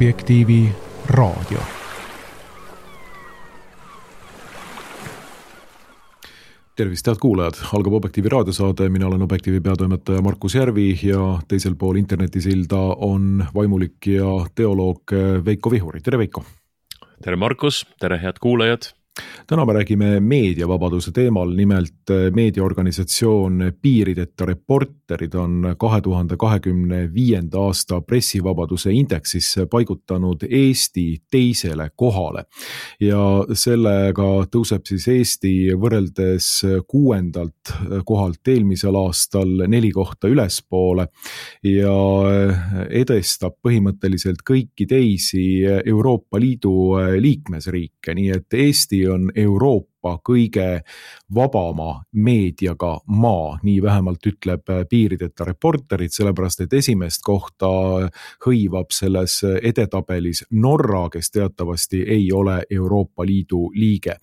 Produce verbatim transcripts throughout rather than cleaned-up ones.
Objektiivi raadio. Tervist, head kuulajad! Algab Objektiivi raadiosaade, mina olen Objektiivi peatoimetaja Markus Järvi ja teisel pool internetisilda on vaimulik ja teoloog Veiko Vihuri. Tere Veiko! Tere Markus, tere head kuulajad! Täna me räägime meediavabaduse teemal, nimelt meediaorganisatsioon Piirideta Reporterid on kahe tuhande kahekümne viienda aasta pressivabaduse indeksis paigutanud Eesti teisele kohale. Ja sellega tõuseb siis Eesti võrreldes kuuendalt kohalt eelmisel aastal neli kohta ülespoole ja edestab põhimõtteliselt kõiki teisi Euroopa Liidu liikmesriike, nii et Eesti on Euroopa kõige vabama meediaga maa, nii vähemalt ütleb Piirideta Reporterid, sellepärast et esimest kohta hõivab selles edetabelis Norra, kes teatavasti ei ole Euroopa Liidu liige.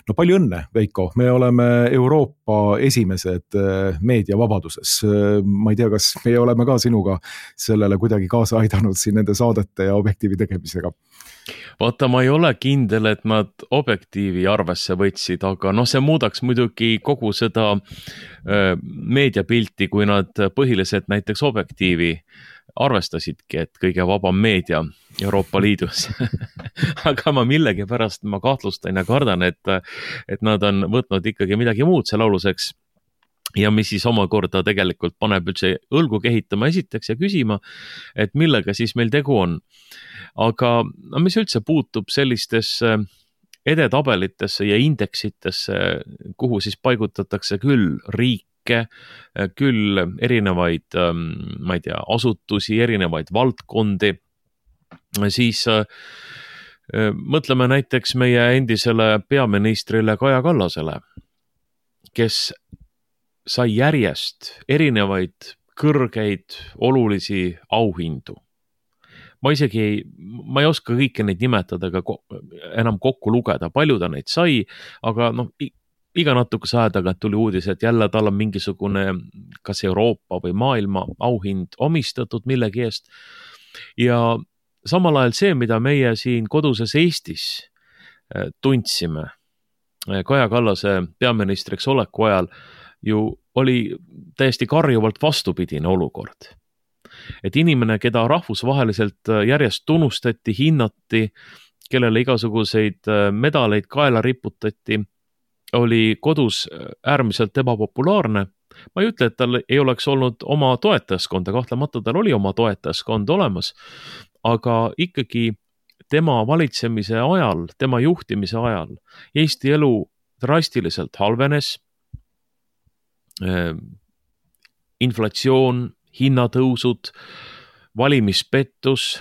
No palju õnne, Veiko, me oleme Euroopa esimesed meediavabaduses. Ma ei tea, kas me oleme ka sinuga sellele kuidagi kaasa aidanud siin nende saadete ja Objektiivi tegemisega. Vaata, ma ei ole kindel, et nad Objektiivi arvesse võtsid, aga noh, see muudaks muidugi kogu seda äh, meediapilti, kui nad põhiliselt näiteks Objektiivi arvestasidki, et kõige vabam meedia Euroopa Liidus. Aga ma millegi pärast ma kahtlustan ja kardan, et, et nad on võtnud ikkagi midagi muud selle aluseks. Ja mis siis omakorda tegelikult paneb üldse õlgu kehitama esiteks ja küsima, et millega siis meil tegu on. Aga mis üldse puutub sellistesse edetabelitesse ja indeksitesse, kuhu siis paigutatakse küll riike, küll erinevaid, ma ei tea, asutusi, erinevaid valdkondi, siis mõtleme näiteks meie endisele peaministrile Kaja Kallasele, kes sai järjest erinevaid kõrgeid olulisi auhindu. Ma isegi ei, ma ei oska kõike neid nimetada ega enam kokku lugeda, palju ta neid sai, aga noh, iga natukese aja tagant tuli uudis, et jälle tal on mingisugune kas Euroopa või maailma auhind omistatud millegi eest. Ja samal ajal see, mida meie siin koduses Eestis tundsime Kaja Kallase peaministriks oleku ajal, ju oli täiesti karjuvalt vastupidine olukord. Et inimene, keda rahvusvaheliselt järjest tunnustati, hinnati, kellele igasuguseid medaleid kaela riputati, oli kodus äärmiselt ebapopulaarne. Ma ei ütle, et tal ei oleks olnud oma toetajaskonda, kahtlemata tal oli oma toetajaskond olemas, aga ikkagi tema valitsemise ajal, tema juhtimise ajal Eesti elu drastiliselt halvenes, inflatsioon, hinnatõusud, valimispettus,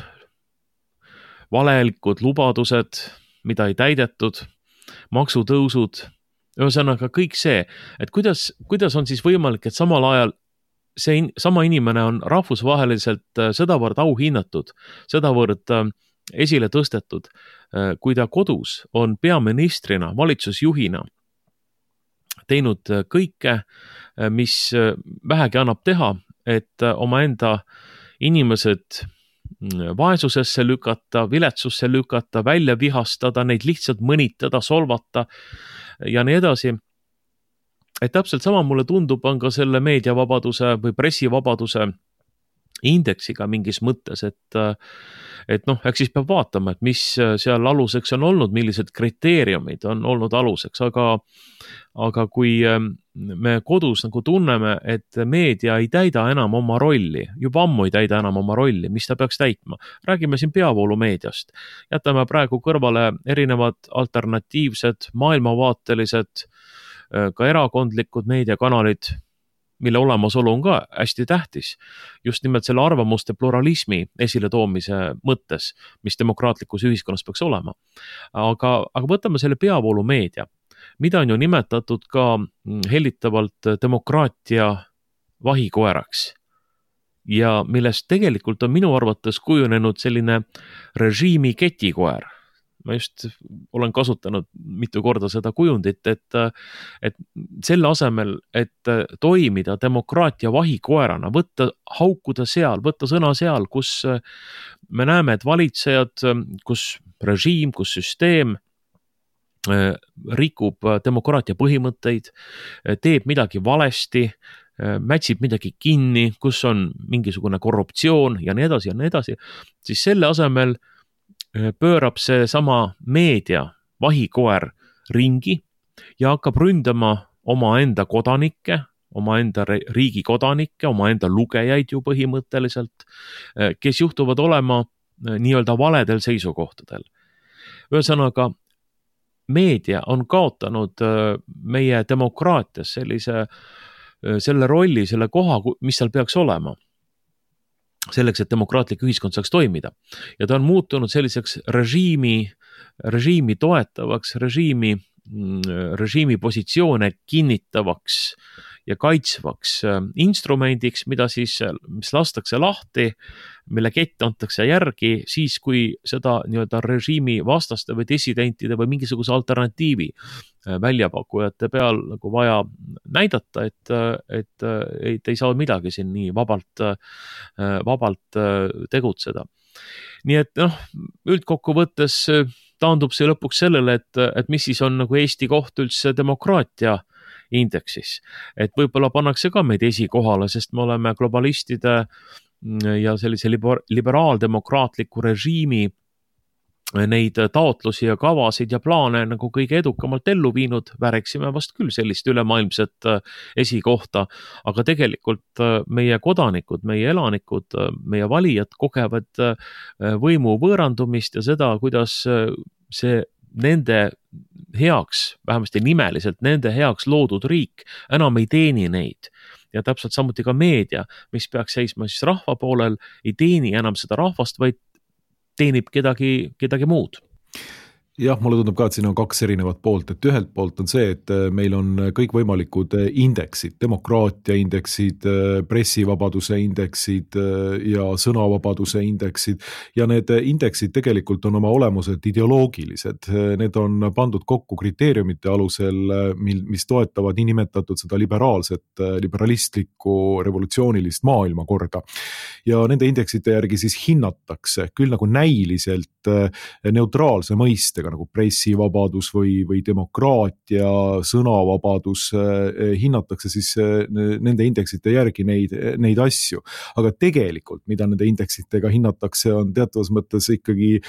valelikud lubadused, mida ei täidetud, maksutõusud, ühesõnaga kõik see, et kuidas, kuidas on siis võimalik, et samal ajal see in, sama inimene on rahvusvaheliselt sedavõrd auhinnatud, sedavõrd esile tõstetud, kui ta kodus on peaministrina, valitsusjuhina teinud kõike, mis vähegi annab teha, et omaenda inimesed vaesusesse lükata, viletsusse lükata, välja vihastada, neid lihtsalt mõnitada, solvata ja nii edasi. Et täpselt sama mulle tundub on ka selle meediavabaduse või pressivabaduse indeksiga mingis mõttes, et, et noh, eks siis peab vaatama, et mis seal aluseks on olnud, millised kriteeriumid on olnud aluseks, aga, aga kui me kodus nagu tunneme, et meedia ei täida enam oma rolli, juba ammu ei täida enam oma rolli, mis ta peaks täitma. Räägime siin peavoolumeediast. Jätame praegu kõrvale erinevad alternatiivsed, maailmavaatelised, ka erakondlikud meediakanalid, mille olemasolu on ka hästi tähtis, just nimelt selle arvamuste pluralismi esile toomise mõttes, mis demokraatlikus ühiskonnas peaks olema. Aga, aga võtame selle peavoolumeedia, mida on ju nimetatud ka hellitavalt demokraatia vahikoeraks ja millest tegelikult on minu arvates kujunenud selline režiimi ketikoer. ma just olen kasutanud mitu korda seda kujundit, et, et selle asemel, et toimida demokraatia vahikoerana, võtta, haukuda seal, võtta sõna seal, kus me näeme, et valitsejad, kus režiim, kus süsteem rikub demokraatia põhimõtteid, teeb midagi valesti, mätsib midagi kinni, kus on mingisugune korruptsioon ja nii edasi ja nii edasi, siis selle asemel pöörab see sama meedia vahikoer ringi ja hakkab ründama omaenda kodanikke, omaenda riigi kodanikke, omaenda lugejaid ju põhimõtteliselt, kes juhtuvad olema nii-öelda valedel seisukohtadel. Ühesõnaga, meedia on kaotanud meie demokraatias sellise, selle rolli, selle koha, mis seal peaks olema. Selleks, et demokraatlik ühiskond saaks toimida. Ja ta on muutunud selliseks režiimi, režiimi toetavaks, režiimi, režiimi positsioone kinnitavaks ja kaitsvaks instrumendiks, mida siis, mis lastakse lahti, mille kett antakse järgi siis, kui seda nii-öelda režiimi vastaste või dissidentide või mingisuguse alternatiivi väljapakkujate peal nagu vaja näidata, et, et, et ei saa midagi siin nii vabalt, vabalt tegutseda. Nii et noh, üldkokkuvõttes taandub see lõpuks sellele, et, et mis siis on nagu Eesti koht üldse demokraatia indeksis. Et võib-olla pannakse ka meid esikohale, sest me oleme globalistide ja sellise liberaaldemokraatliku režiimi neid taotlusi ja kavasid ja plaane nagu kõige edukamalt ellu viinud, vääriksime vast küll sellist ülemaailmset esikohta, aga tegelikult meie kodanikud, meie elanikud, meie valijad kogevad võimu võõrandumist ja seda, kuidas see nende heaks, vähemasti nimeliselt nende heaks loodud riik enam ei teeni neid. Ja täpselt samuti ka meedia, mis peaks seisma siis rahva poolel, ei teeni enam seda rahvast, vaid teenib kedagi, kedagi muud. Jah, mulle tundub ka, et siin on kaks erinevat poolt, et ühelt poolt on see, et meil on kõikvõimalikud indeksid, demokraatia indeksid, pressivabaduse indeksid ja sõnavabaduse indeksid ja need indeksid tegelikult on oma olemuselt ideoloogilised. Need on pandud kokku kriteeriumite alusel, mis toetavad nii nimetatud seda liberaalset, liberalistlikku, revolutsioonilist maailmakorda. Ja nende indeksite järgi siis hinnatakse küll nagu näiliselt neutraalse mõiste nagu pressivabadus või, või demokraatia, sõnavabadus, hinnatakse siis nende indeksite järgi neid, neid asju. Aga tegelikult, mida nende indeksitega hinnatakse, on teatavas mõttes ikkagi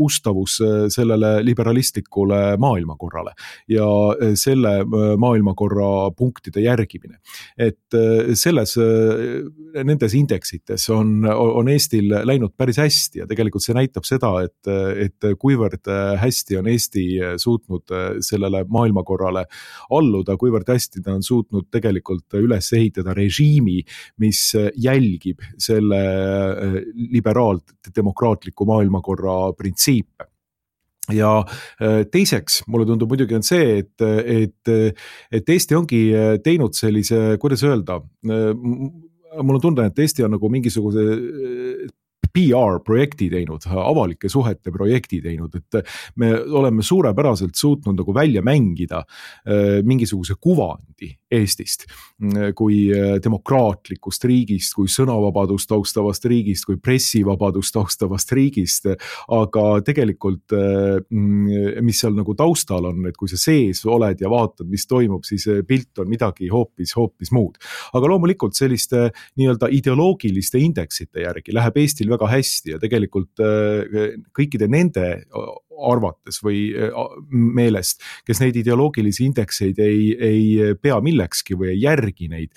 ustavus sellele liberalistlikule maailmakorrale ja selle maailmakorra punktide järgimine. Et selles, nendes indeksites on, on Eestil läinud päris hästi ja tegelikult see näitab seda, et, et kuivõrd hästi on Eesti suutnud sellele maailmakorrale alluda, kuivõrd hästi ta on suutnud tegelikult üles ehitada režiimi, mis jälgib selle liberaal-demokraatliku maailmakorra printsiipe. Ja teiseks, mulle tundub muidugi on see, et, et, et Eesti ongi teinud sellise, kuidas öelda, mul on tunne, et Eesti on nagu mingisuguse P R projekti teinud, avalike suhete projekti teinud, et me oleme suurepäraselt suutnud nagu välja mängida mingisuguse kuvandi Eestist kui demokraatlikust riigist, kui sõnavabadust austavast riigist, kui pressivabadust austavast riigist, aga tegelikult mis seal nagu taustal on, et kui sa sees oled ja vaatad, mis toimub, siis pilt on midagi hoopis, hoopis muud. Aga loomulikult selliste nii-öelda ideoloogiliste indeksite järgi läheb Eestil väga hästi ja tegelikult kõikide nende arvates või meelest, kes neid ideoloogilisi indekseid ei, ei pea millekski või ei järgi neid,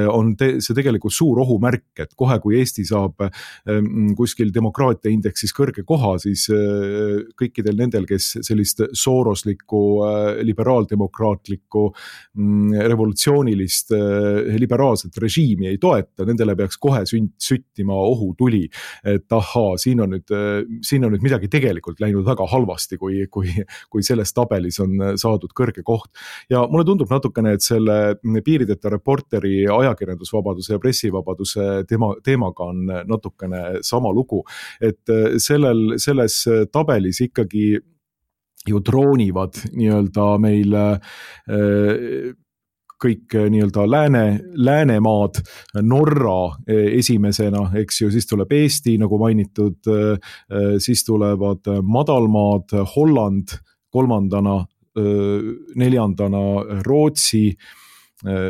on te, see tegelikult suur ohumärk, et kohe kui Eesti saab kuskil demokraatia indeksis kõrge koha, siis kõikidel nendel, kes sellist sooroslikku, liberaaldemokraatlikku, revolutsioonilist, liberaalset režiimi ei toeta, nendele peaks kohe süttima ohutuli, et ahaa, siin on nüüd, siin on nüüd midagi tegelikult läinud väga halvasti, kui, kui, kui selles tabelis on saadud kõrge koht. Ja mulle tundub natukene, et selle Piirideta Reporteri ajakirjandusvabaduse ja pressivabaduse teema, teemaga on natukene sama lugu, et sellel, selles tabelis ikkagi ju droonivad nii-öelda meil kõik nii-öelda lääne, läänemaad, Norra esimesena, eks ju, siis tuleb Eesti, nagu mainitud, siis tulevad madalmaad, Holland kolmandana, neljandana Rootsi,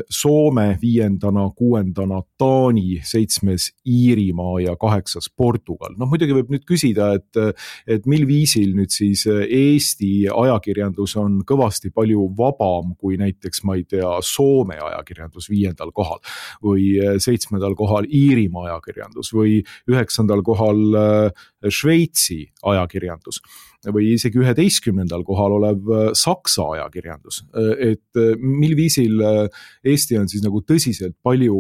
Soome viiendana, kuuendana Taani, seitsmes Iirimaa ja kaheksas Portugal. No muidugi võib nüüd küsida, et, et mil viisil nüüd siis Eesti ajakirjandus on kõvasti palju vabam kui näiteks, ma ei tea, Soome ajakirjandus viiendal kohal või seitsmendal kohal Iirimaa ajakirjandus või üheksandal kohal Šveitsi ajakirjandus või isegi üheteistkümnendal kohal olev Saksa ajakirjandus. Et mil viisil Eesti on siis nagu tõsiselt palju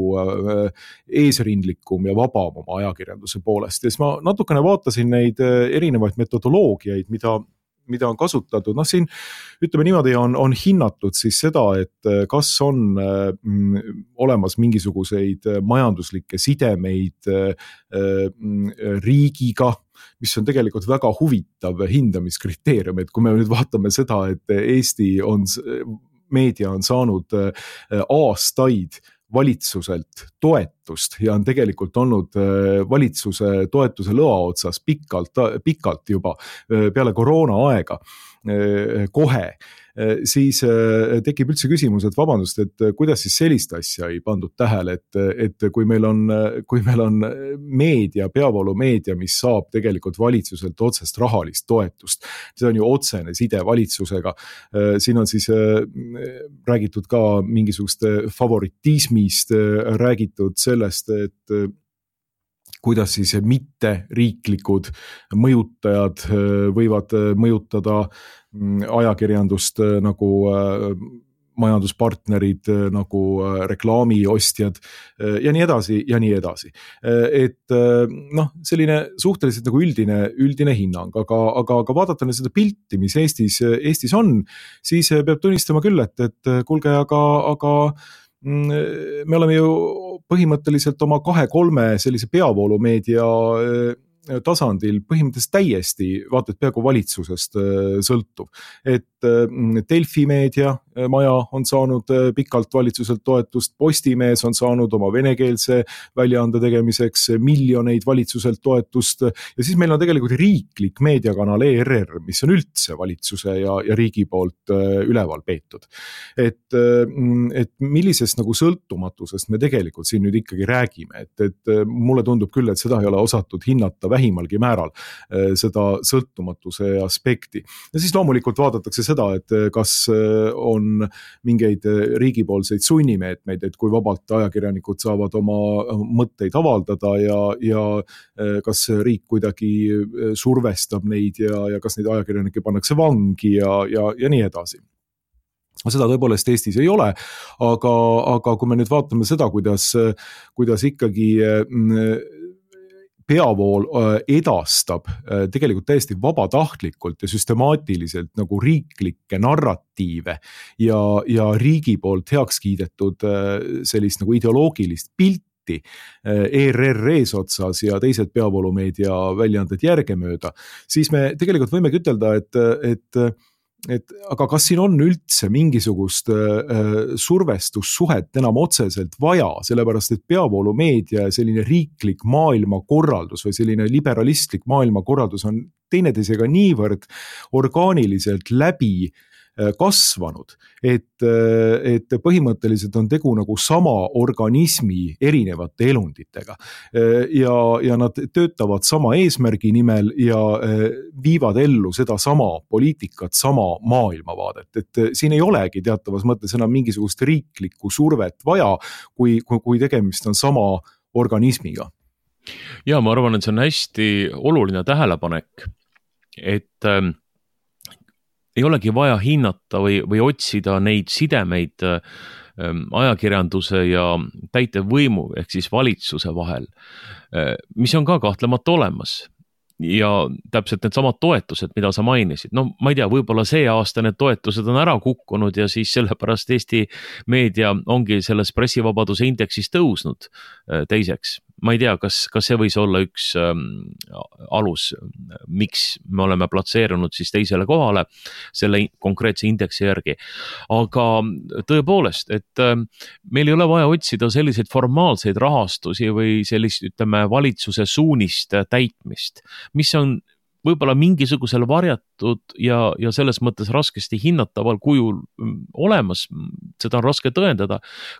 eesrindlikum ja vabam oma ajakirjanduse poolest. Ja siis ma natukene vaatasin neid erinevaid metodoloogiaid, mida mida on kasutatud, noh siin ütleme niimoodi on, on hinnatud siis seda, et kas on mm, olemas mingisuguseid majanduslikke sidemeid mm, riigiga, mis on tegelikult väga huvitav hindamiskriteerium, et kui me nüüd vaatame seda, et Eesti on, meedia on saanud aastaid valitsuselt toetust ja on tegelikult olnud valitsuse toetuse lõa otsas pikalt, pikalt juba peale koroona aega kohe, siis tekib üldse küsimus, et vabandust, et kuidas siis sellist asja ei pandud tähele, et, et kui meil on, kui meil on meedia, peavoolumeedia, mis saab tegelikult valitsuselt otsest rahalist toetust, see on ju otsene side valitsusega, siin on siis räägitud ka mingisugust favoritismist, räägitud sellest, et kuidas siis mitte riiklikud mõjutajad võivad mõjutada ajakirjandust nagu majanduspartnerid, nagu reklaamiostjad ja nii edasi ja nii edasi. Et noh, selline suhteliselt nagu üldine, üldine hinnang, aga, aga, aga vaadata seda pilti, mis Eestis, Eestis on, siis peab tunnistama küll, et, et kuulge, aga, aga me oleme ju põhimõtteliselt oma kahe-kolme sellise peavoolumeedia tasandil põhimõtteliselt täiesti, vaata, et peaaegu valitsusest sõltuv. Et Delfi meedia maja on saanud pikalt valitsuselt toetust, Postimees on saanud oma venekeelse väljaande tegemiseks miljoneid valitsuselt toetust ja siis meil on tegelikult riiklik meediakanal E R R, mis on üldse valitsuse ja, ja riigi poolt üleval peetud. Et, et millisest nagu sõltumatusest me tegelikult siin nüüd ikkagi räägime, et, et mulle tundub küll, et seda ei ole osatud hinnata vähimalgi määral seda sõltumatuse aspekti. Ja siis loomulikult vaadatakse seda, et kas on mingeid riigipoolseid sunnimeetmeid, et kui vabalt ajakirjanikud saavad oma mõtteid avaldada ja, ja kas riik kuidagi survestab neid ja, ja kas neid ajakirjanikke pannakse vangi ja, ja, ja nii edasi. Seda tõepoolest Eestis ei ole, aga, aga kui me nüüd vaatame seda, kuidas, kuidas ikkagi peavool edastab tegelikult täiesti vabatahtlikult ja süstemaatiliselt nagu riiklikke narratiive ja, ja riigi poolt heaks kiidetud sellist nagu ideoloogilist pilti E R R eesotsas ja teised peavoolumeedia väljaanded järgemööda, siis me tegelikult võimegi ütelda, et, et et aga kas siin on üldse mingisugust äh, survestussuhet enam otseselt vaja, sellepärast et peavoolumeedia ja selline riiklik maailmakorraldus või selline liberalistlik maailmakorraldus on teineteisega niivõrd orgaaniliselt läbi kasvanud, et, et põhimõtteliselt on tegu nagu sama organismi erinevate elunditega ja, ja nad töötavad sama eesmärgi nimel ja viivad ellu seda sama poliitikat, sama maailmavaadet, et siin ei olegi teatavas mõttes enam mingisugust riiklikku survet vaja, kui, kui, kui tegemist on sama organismiga. Ja ma arvan, et see on hästi oluline tähelepanek, et ähm, ei olegi vaja hinnata või, või otsida neid sidemeid ähm, ajakirjanduse ja täitevvõimu ehk siis valitsuse vahel, äh, mis on ka kahtlemata olemas. ja täpselt need samad toetused, mida sa mainisid, no ma ei tea, võib-olla see aasta need toetused on ära kukkunud ja siis sellepärast Eesti meedia ongi selles pressivabaduse indeksis tõusnud teiseks. Ma ei tea, kas, kas see võis olla üks ähm, alus, miks me oleme platseerunud siis teisele kohale selle konkreetse indeksi järgi. Aga tõepoolest, et äh, meil ei ole vaja otsida selliseid formaalseid rahastusi või sellist, ütleme, valitsuse suunist täitmist, mis on võib-olla mingisugusel varjatud ja, ja selles mõttes raskesti hinnataval kujul olemas, seda on raske tõendada.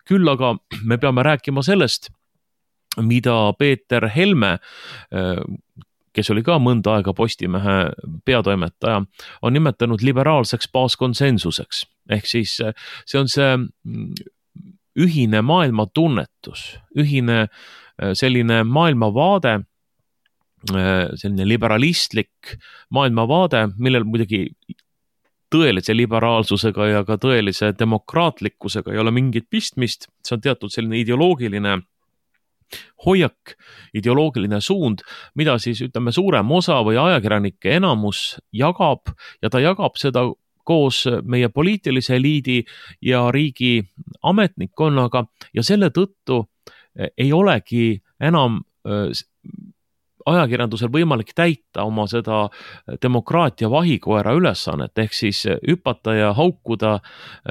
Küll aga me peame rääkima sellest, mida Peeter Helme, kes oli ka mõnda aega Postimehe peatoimetaja, on nimetanud liberaalseks baaskonsensuseks. Ehk siis see on see ühine maailmatunnetus, ühine selline maailmavaade, selline liberalistlik maailmavaade, millel muidugi tõelise liberaalsusega ja ka tõelise demokraatlikkusega ei ole mingit pistmist, see on teatud selline ideoloogiline hoiak, ideoloogiline suund, mida siis ütleme suurem osa või ajakirjanike enamus jagab ja ta jagab seda koos meie poliitilise eliidi ja riigi ametnikkonnaga ja selle tõttu ei olegi enam ajakirjandusel võimalik täita oma seda demokraatia vahikoera ülesannet, ehk siis hüpata ja haukuda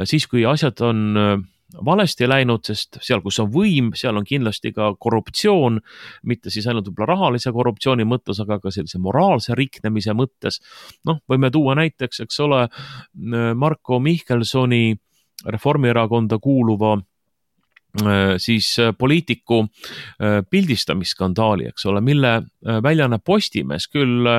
siis, kui asjad on valesti läinud, sest seal, kus on võim, seal on kindlasti ka korruptsioon, mitte siis ainult võib-olla rahalise korruptsiooni mõttes, aga ka sellise moraalse riknemise mõttes. Noh, võime tuua näiteks, eks ole, Marko Mihkelsoni Reformierakonda kuuluva siis poliitiku pildistamisskandaali, eks ole, mille väljane Postimees küll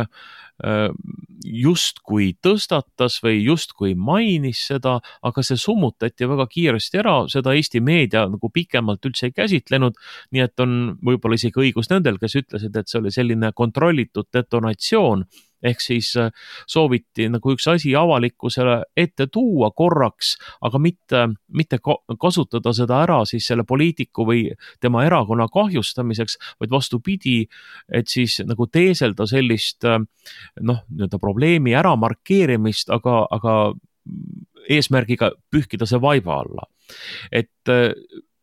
justkui tõstatas või justkui mainis seda, aga see summutati väga kiiresti ära, seda Eesti meedia nagu pikemalt üldse ei käsitlenud, nii et on võib-olla isegi õigus nendel, kes ütlesid, et see oli selline kontrollitud detonatsioon, ehk siis sooviti nagu üks asi avalikkusele ette tuua korraks, aga mitte, mitte kasutada seda ära siis selle poliitiku või tema erakonna kahjustamiseks, vaid vastupidi, et siis nagu teeselda sellist noh, nii-öelda probleemi ära markeerimist, aga, aga eesmärgiga pühkida see vaiba alla. Et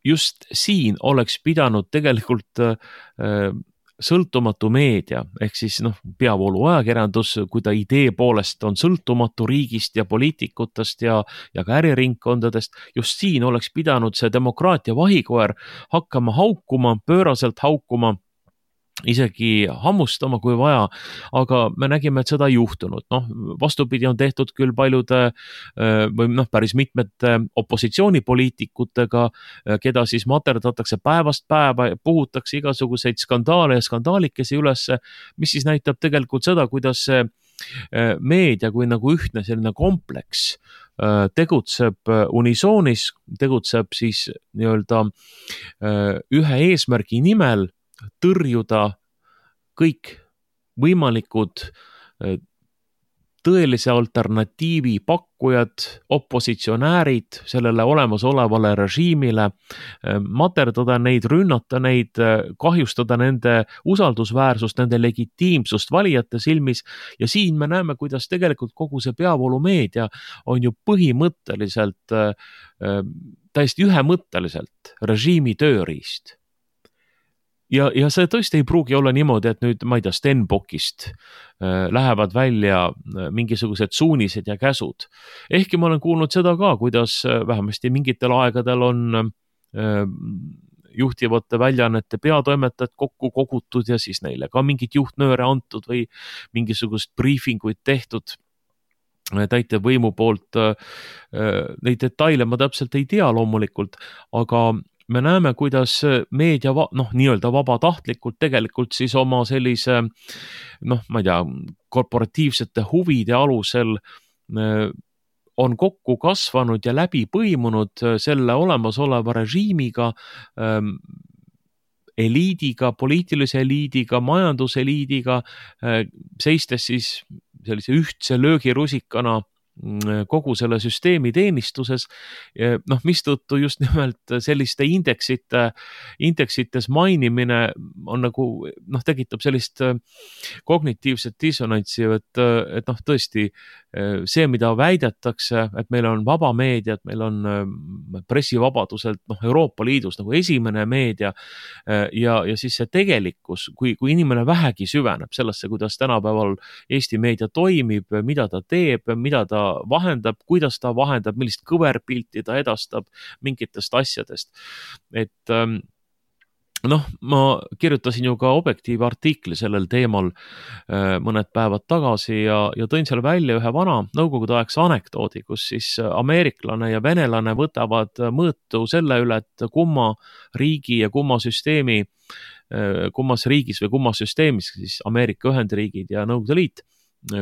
just siin oleks pidanud tegelikult sõltumatu meedia, ehk siis noh, peavoolu ajakirjandus, kui ta idee poolest on sõltumatu riigist ja poliitikutest ja, ja ka äriringkondadest, just siin oleks pidanud see demokraatia vahikoer hakkama haukuma, pööraselt haukuma, isegi hammustama, kui vaja, aga me nägime, et seda ei juhtunud. Noh, vastupidi on tehtud küll paljude või noh, päris mitmete opositsioonipoliitikutega, keda siis materdatakse päevast päeva, puhutakse igasuguseid skandaale ja skandaalikesi ülesse, mis siis näitab tegelikult seda, kuidas see meedia kui nagu ühtne selline kompleks tegutseb unisoonis, tegutseb siis nii-öelda ühe eesmärgi nimel, tõrjuda kõik võimalikud tõelise alternatiivi pakkujad, opositsionäärid sellele olemasolevale režiimile, materdada neid, rünnata neid, kahjustada nende usaldusväärsust, nende legitiimsust valijate silmis ja siin me näeme, kuidas tegelikult kogu see peavoolumeedia on ju põhimõtteliselt, täiesti ühemõtteliselt režiimi tööriist. Ja, ja see tõesti ei pruugi olla niimoodi, et nüüd, ma ei tea, Stenbockist äh, lähevad välja mingisugused suunised ja käsud. Ehkki ma olen kuulnud seda ka, kuidas vähemasti mingitel aegadel on äh, juhtivate väljaannete peatoimetajad kokku kogutud ja siis neile ka mingit juhtnööre antud või mingisugust briifinguid tehtud täitevvõimu poolt. Äh, neid detaile ma täpselt ei tea loomulikult, aga me näeme, kuidas meedia, noh, nii-öelda vabatahtlikult tegelikult siis oma sellise, noh, ma ei tea, korporatiivsete huvide alusel on kokku kasvanud ja läbi põimunud selle olemasoleva režiimiga, eliidiga, poliitilise eliidiga, majanduseliidiga, seistes siis sellise ühtse löögirusikana kogu selle süsteemi teenistuses, noh, mistõttu just nimelt selliste indeksite, indeksites mainimine on nagu, noh, tekitab sellist kognitiivset dissonantsi, et, et noh, tõesti see, mida väidetakse, et meil on vaba meedia, et meil on pressivabadus, et noh, Euroopa Liidus nagu esimene meedia ja, ja siis see tegelikkus, kui, kui inimene vähegi süveneb sellesse, kuidas tänapäeval Eesti meedia toimib, mida ta teeb, mida ta vahendab, kuidas ta vahendab, millist kõverpilti ta edastab mingitest asjadest. Et noh, ma kirjutasin ju ka Objektiivi artikli sellel teemal mõned päevad tagasi ja, ja tõin seal välja ühe vana nõukogude aegse anekdoodi, kus siis ameeriklane ja venelane võtavad mõõtu selle üle, et kumma riigi ja kumma süsteemi, kummas riigis või kummas süsteemis, siis Ameerika Ühendriigid ja Nõukogude Liit,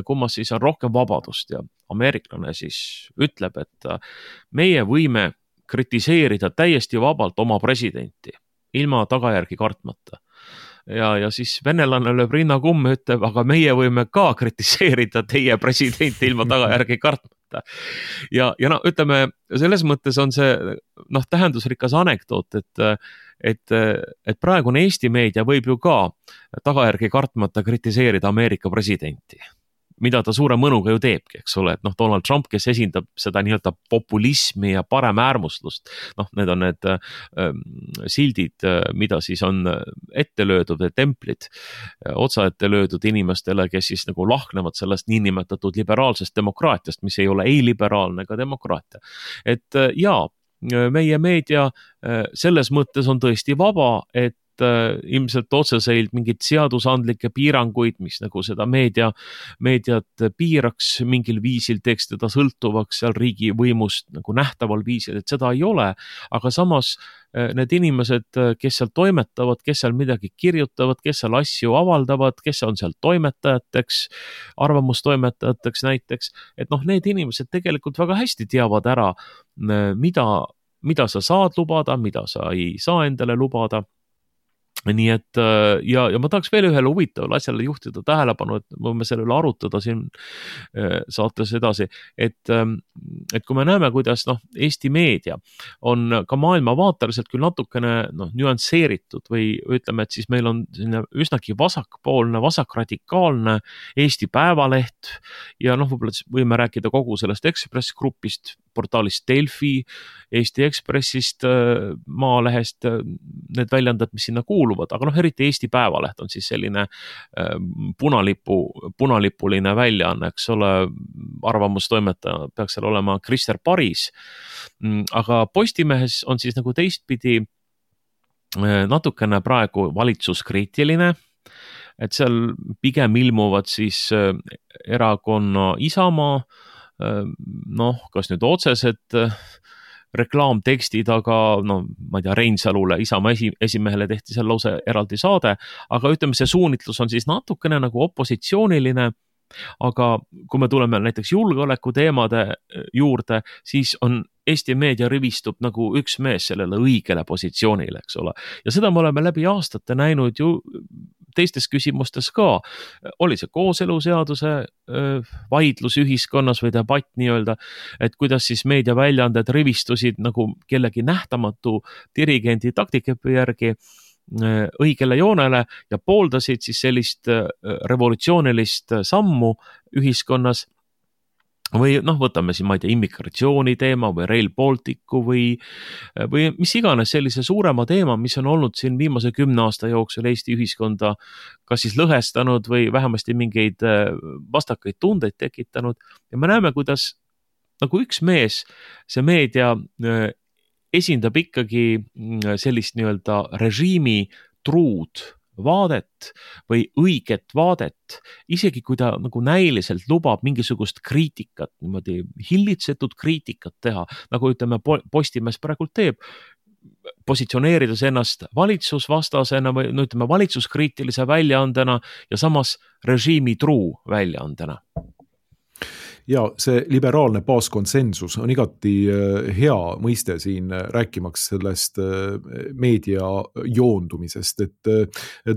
kummas siis on rohkem vabadust ja ameeriklane siis ütleb, et meie võime kritiseerida täiesti vabalt oma presidenti, ilma tagajärgi kartmata. Ja, ja siis venelane lööb rinna kumme, ütleb, aga meie võime ka kritiseerida teie presidenti ilma tagajärgi kartmata. Ja, ja no, ütleme, selles mõttes on see noh, tähendusrikas anekdoot, et, et, et praegune Eesti meedia võib ju ka tagajärgi kartmata kritiseerida Ameerika presidenti, mida ta suure mõnuga ju teebki, eks ole, et noh, Donald Trump, kes esindab seda nii-öelda populismi ja parem äärmuslust, noh, need on need äh, sildid, mida siis on ette löödud, templid, otsa ette löödud inimestele, kes siis nagu lahknevad sellest niinimetatud liberaalsest demokraatiast, mis ei ole ei liberaalne ega demokraatia. Et äh, jaa, meie meedia äh, selles mõttes on tõesti vaba, et ilmselt otseselt mingid seadusandlikke piiranguid, mis nagu seda meedia, meediat piiraks mingil viisil, teeks teda sõltuvaks seal riigi võimust nagu nähtaval viisil, et seda ei ole, aga samas need inimesed, kes seal toimetavad, kes seal midagi kirjutavad, kes seal asju avaldavad, kes on seal toimetajateks, arvamustoimetajateks näiteks, et noh, need inimesed tegelikult väga hästi teavad ära, mida, mida sa saad lubada, mida sa ei saa endale lubada. Nii et ja, ja ma tahaks veel ühele huvitavale asjale juhtida tähelepanu, et võime selle üle arutada siin saates edasi, et, et kui me näeme, kuidas noh, Eesti meedia on ka maailmavaateliselt küll natukene noh, nüansseeritud või ütleme, et siis meil on üsnagi vasakpoolne, vasakradikaalne Eesti Päevaleht ja noh, võib-olla võime rääkida kogu sellest Ekspress grupist, portaalist Delfi, Eesti Ekspressist, Maalehest, need väljandad, mis sinna kuuluvad, aga noh, eriti Eesti Päevaleht on siis selline punalipu, punalipuline väljaanne, eks ole, arvamustoimetaja peaks seal olema Krister Paris, aga Postimehes on siis nagu teistpidi natukene praegu valitsuskriitiline, et seal pigem ilmuvad siis erakonna Isamaa, noh, kas nüüd otsesed reklaamtekstid, aga no, ma ei tea, Reinsalule, Isamaa esi, esimehele tehti seal lause eraldi saade, aga ütleme, see suunitlus on siis natukene nagu opositsiooniline, aga kui me tuleme näiteks julgeoleku teemade juurde, siis on Eesti meedia rivistub nagu üks mees sellele õigele positsioonile, eks ole. Ja seda me oleme läbi aastate näinud ju teistes küsimustes ka. Oli see kooseluseaduse vaidlus ühiskonnas või debatt nii-öelda, et kuidas siis meediaväljaanded rivistusid nagu kellegi nähtamatu dirigendi taktikepi järgi õigele joonele ja pooldasid siis sellist revolutsioonilist sammu ühiskonnas. Või noh, võtame siin, ma ei tea, immigratsiooni teema või Rail Balticu või, või mis iganes sellise suurema teema, mis on olnud siin viimase kümne aasta jooksul Eesti ühiskonda kas siis lõhestanud või vähemasti mingeid vastakaid tundeid tekitanud. Ja me näeme, kuidas nagu üks mees, see meedia esindab ikkagi sellist nii-öelda režiimi truud vaadet või õiget vaadet, isegi kui ta nagu näiliselt lubab mingisugust kriitikat, niimoodi hillitsetud kriitikat teha, nagu ütleme Postimees praegult teeb, positsioneerides ennast valitsusvastasena või no ütleme valitsuskriitilise väljaandena ja samas režiimi truu väljaandena. Ja see liberaalne baaskonsensus on igati hea mõiste siin rääkimaks sellest meedia joondumisest, et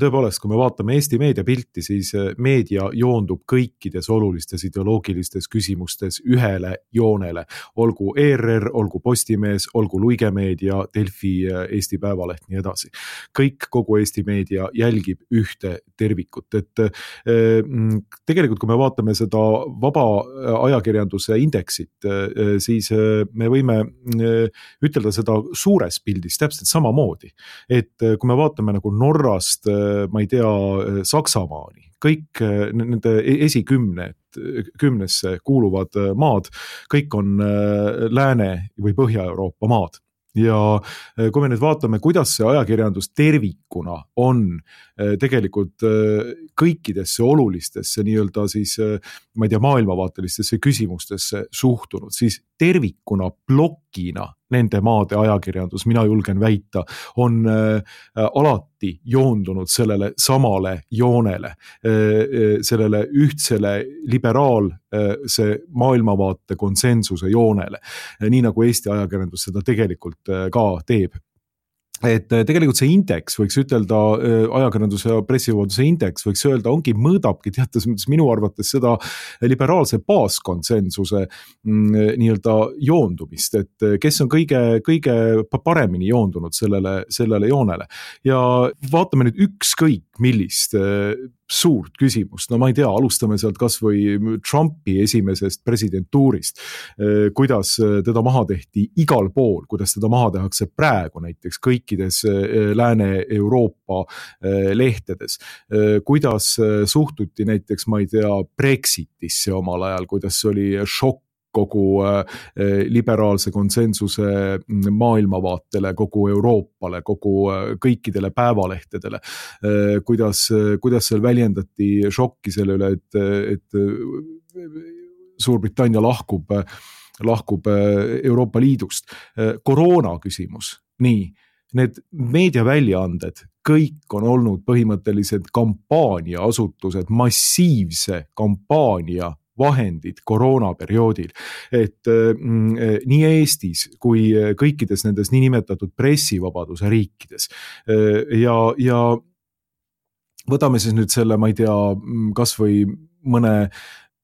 tõepoolest, kui me vaatame Eesti meediapilti, siis meedia joondub kõikides olulistes ideoloogilistes küsimustes ühele joonele. Olgu E R R, olgu Postimees, olgu Luigemeedia, Delfi, Eesti Päevaleht, nii edasi. Kõik, kogu Eesti meedia jälgib ühte tervikut, et tegelikult, kui me vaatame seda vaba ajakirjanduse indeksit, siis me võime ütelda seda suures pildis täpselt samamoodi. Et kui me vaatame nagu Norrast, ma ei tea, Saksamaani, kõik nende esikümne, kümnesse kuuluvad maad, kõik on Lääne- või Põhja-Euroopa maad. Ja kui me nüüd vaatame, kuidas see ajakirjandus tervikuna on tegelikult kõikidesse olulistesse nii-öelda siis, ma ei tea, maailmavaatelistesse küsimustesse suhtunud, siis tervikuna plokina nende maade ajakirjandus, mina julgen väita, on alati joondunud sellele samale joonele, sellele ühtsele liberaal see maailmavaate konsensuse joonele, nii nagu Eesti ajakirjandus seda tegelikult ka teeb. Et tegelikult see indeks, võiks ütelda, ajakirjanduse ja pressivabaduse indeks, võiks öelda, ongi mõõdabki teatas mõttes minu arvates seda liberaalse baaskonsensuse nii-öelda joondumist, et kes on kõige, kõige paremini joondunud sellele, sellele joonele. Ja vaatame nüüd ükskõik millist suurt küsimust, no ma ei tea, alustame sealt kas või Trumpi esimesest presidentuurist, kuidas teda maha tehti igal pool, kuidas teda maha tehakse praegu näiteks kõikides Lääne-Euroopa lehtedes, kuidas suhtuti näiteks, ma ei tea, Brexitisse omal ajal, kuidas oli šokk kogu liberaalse konsensuse maailmavaatele, kogu Euroopale, kogu kõikidele päevalehtedele, kuidas, kuidas seal väljendati šokki selle üle, et, et Suurbritannia lahkub, lahkub Euroopa Liidust. Koroona küsimus, nii, need meediaväljaanded, kõik on olnud põhimõtteliselt kampaaniaasutused, massiivse kampaania vahendid koroonaperioodil, et mm, nii Eestis kui kõikides nendes niinimetatud pressivabaduse riikides ja, ja võtame siis nüüd selle, ma ei tea, kas või mõne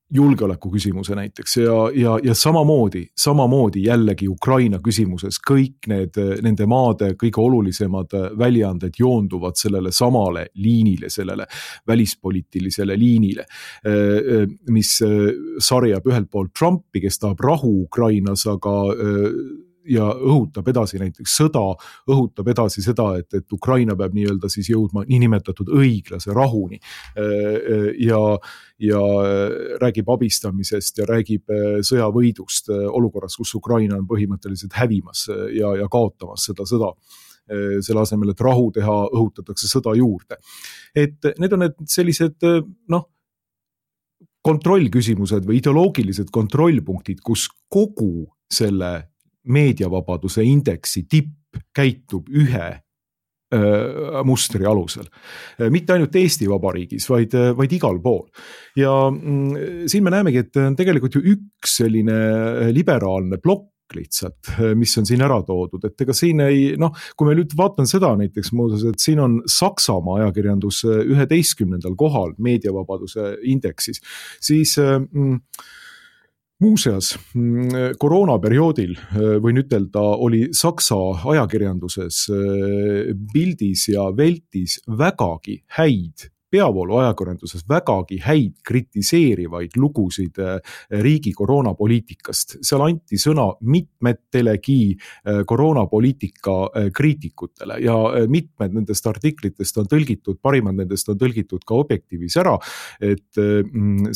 julgeoleku küsimuse näiteks ja, ja, ja samamoodi, samamoodi jällegi Ukraina küsimuses kõik need, nende maade kõige olulisemad väljaanded joonduvad sellele samale liinile, sellele välispoliitilisele liinile, mis sarjab ühelt poolt Trumpi, kes tahab rahu Ukrainas, aga ja õhutab edasi näiteks sõda, õhutab edasi seda, et, et Ukraina peab nii-öelda siis jõudma niinimetatud õiglase rahuni ja, ja räägib abistamisest ja räägib sõjavõidust olukorras, kus Ukraina on põhimõtteliselt hävimas ja, ja kaotamas seda sõda. Selle asemel, et rahu teha, õhutatakse sõda juurde. Et need on need sellised, noh, kontrollküsimused või ideoloogilised kontrollpunktid, kus kogu selle meediavabaduse indeksi tipp käitub ühe öö, mustri alusel. Mitte ainult Eesti Vabariigis, vaid, vaid igal pool. Ja mm, siin me näemegi, et on tegelikult ju üks selline liberaalne plokk lihtsalt, mis on siin ära toodud, et ega siin ei, noh, kui me nüüd vaatan seda näiteks muuseas, et siin on Saksamaa ajakirjandus üheteistkümnendal kohal meediavabaduse indeksis, siis mm, muuseas, koroonaperioodil, võin ütelda, oli Saksa ajakirjanduses Bildis ja Weltis vägagi häid peavoolu ajakirjanduses vägagi häid kritiseerivaid lugusid riigi koroonapoliitikast. Seal anti sõna mitmettelegi koroonapoliitika kriitikutele ja mitmed nendest artiklitest on tõlgitud, parimad nendest on tõlgitud ka Objektiivis ära, et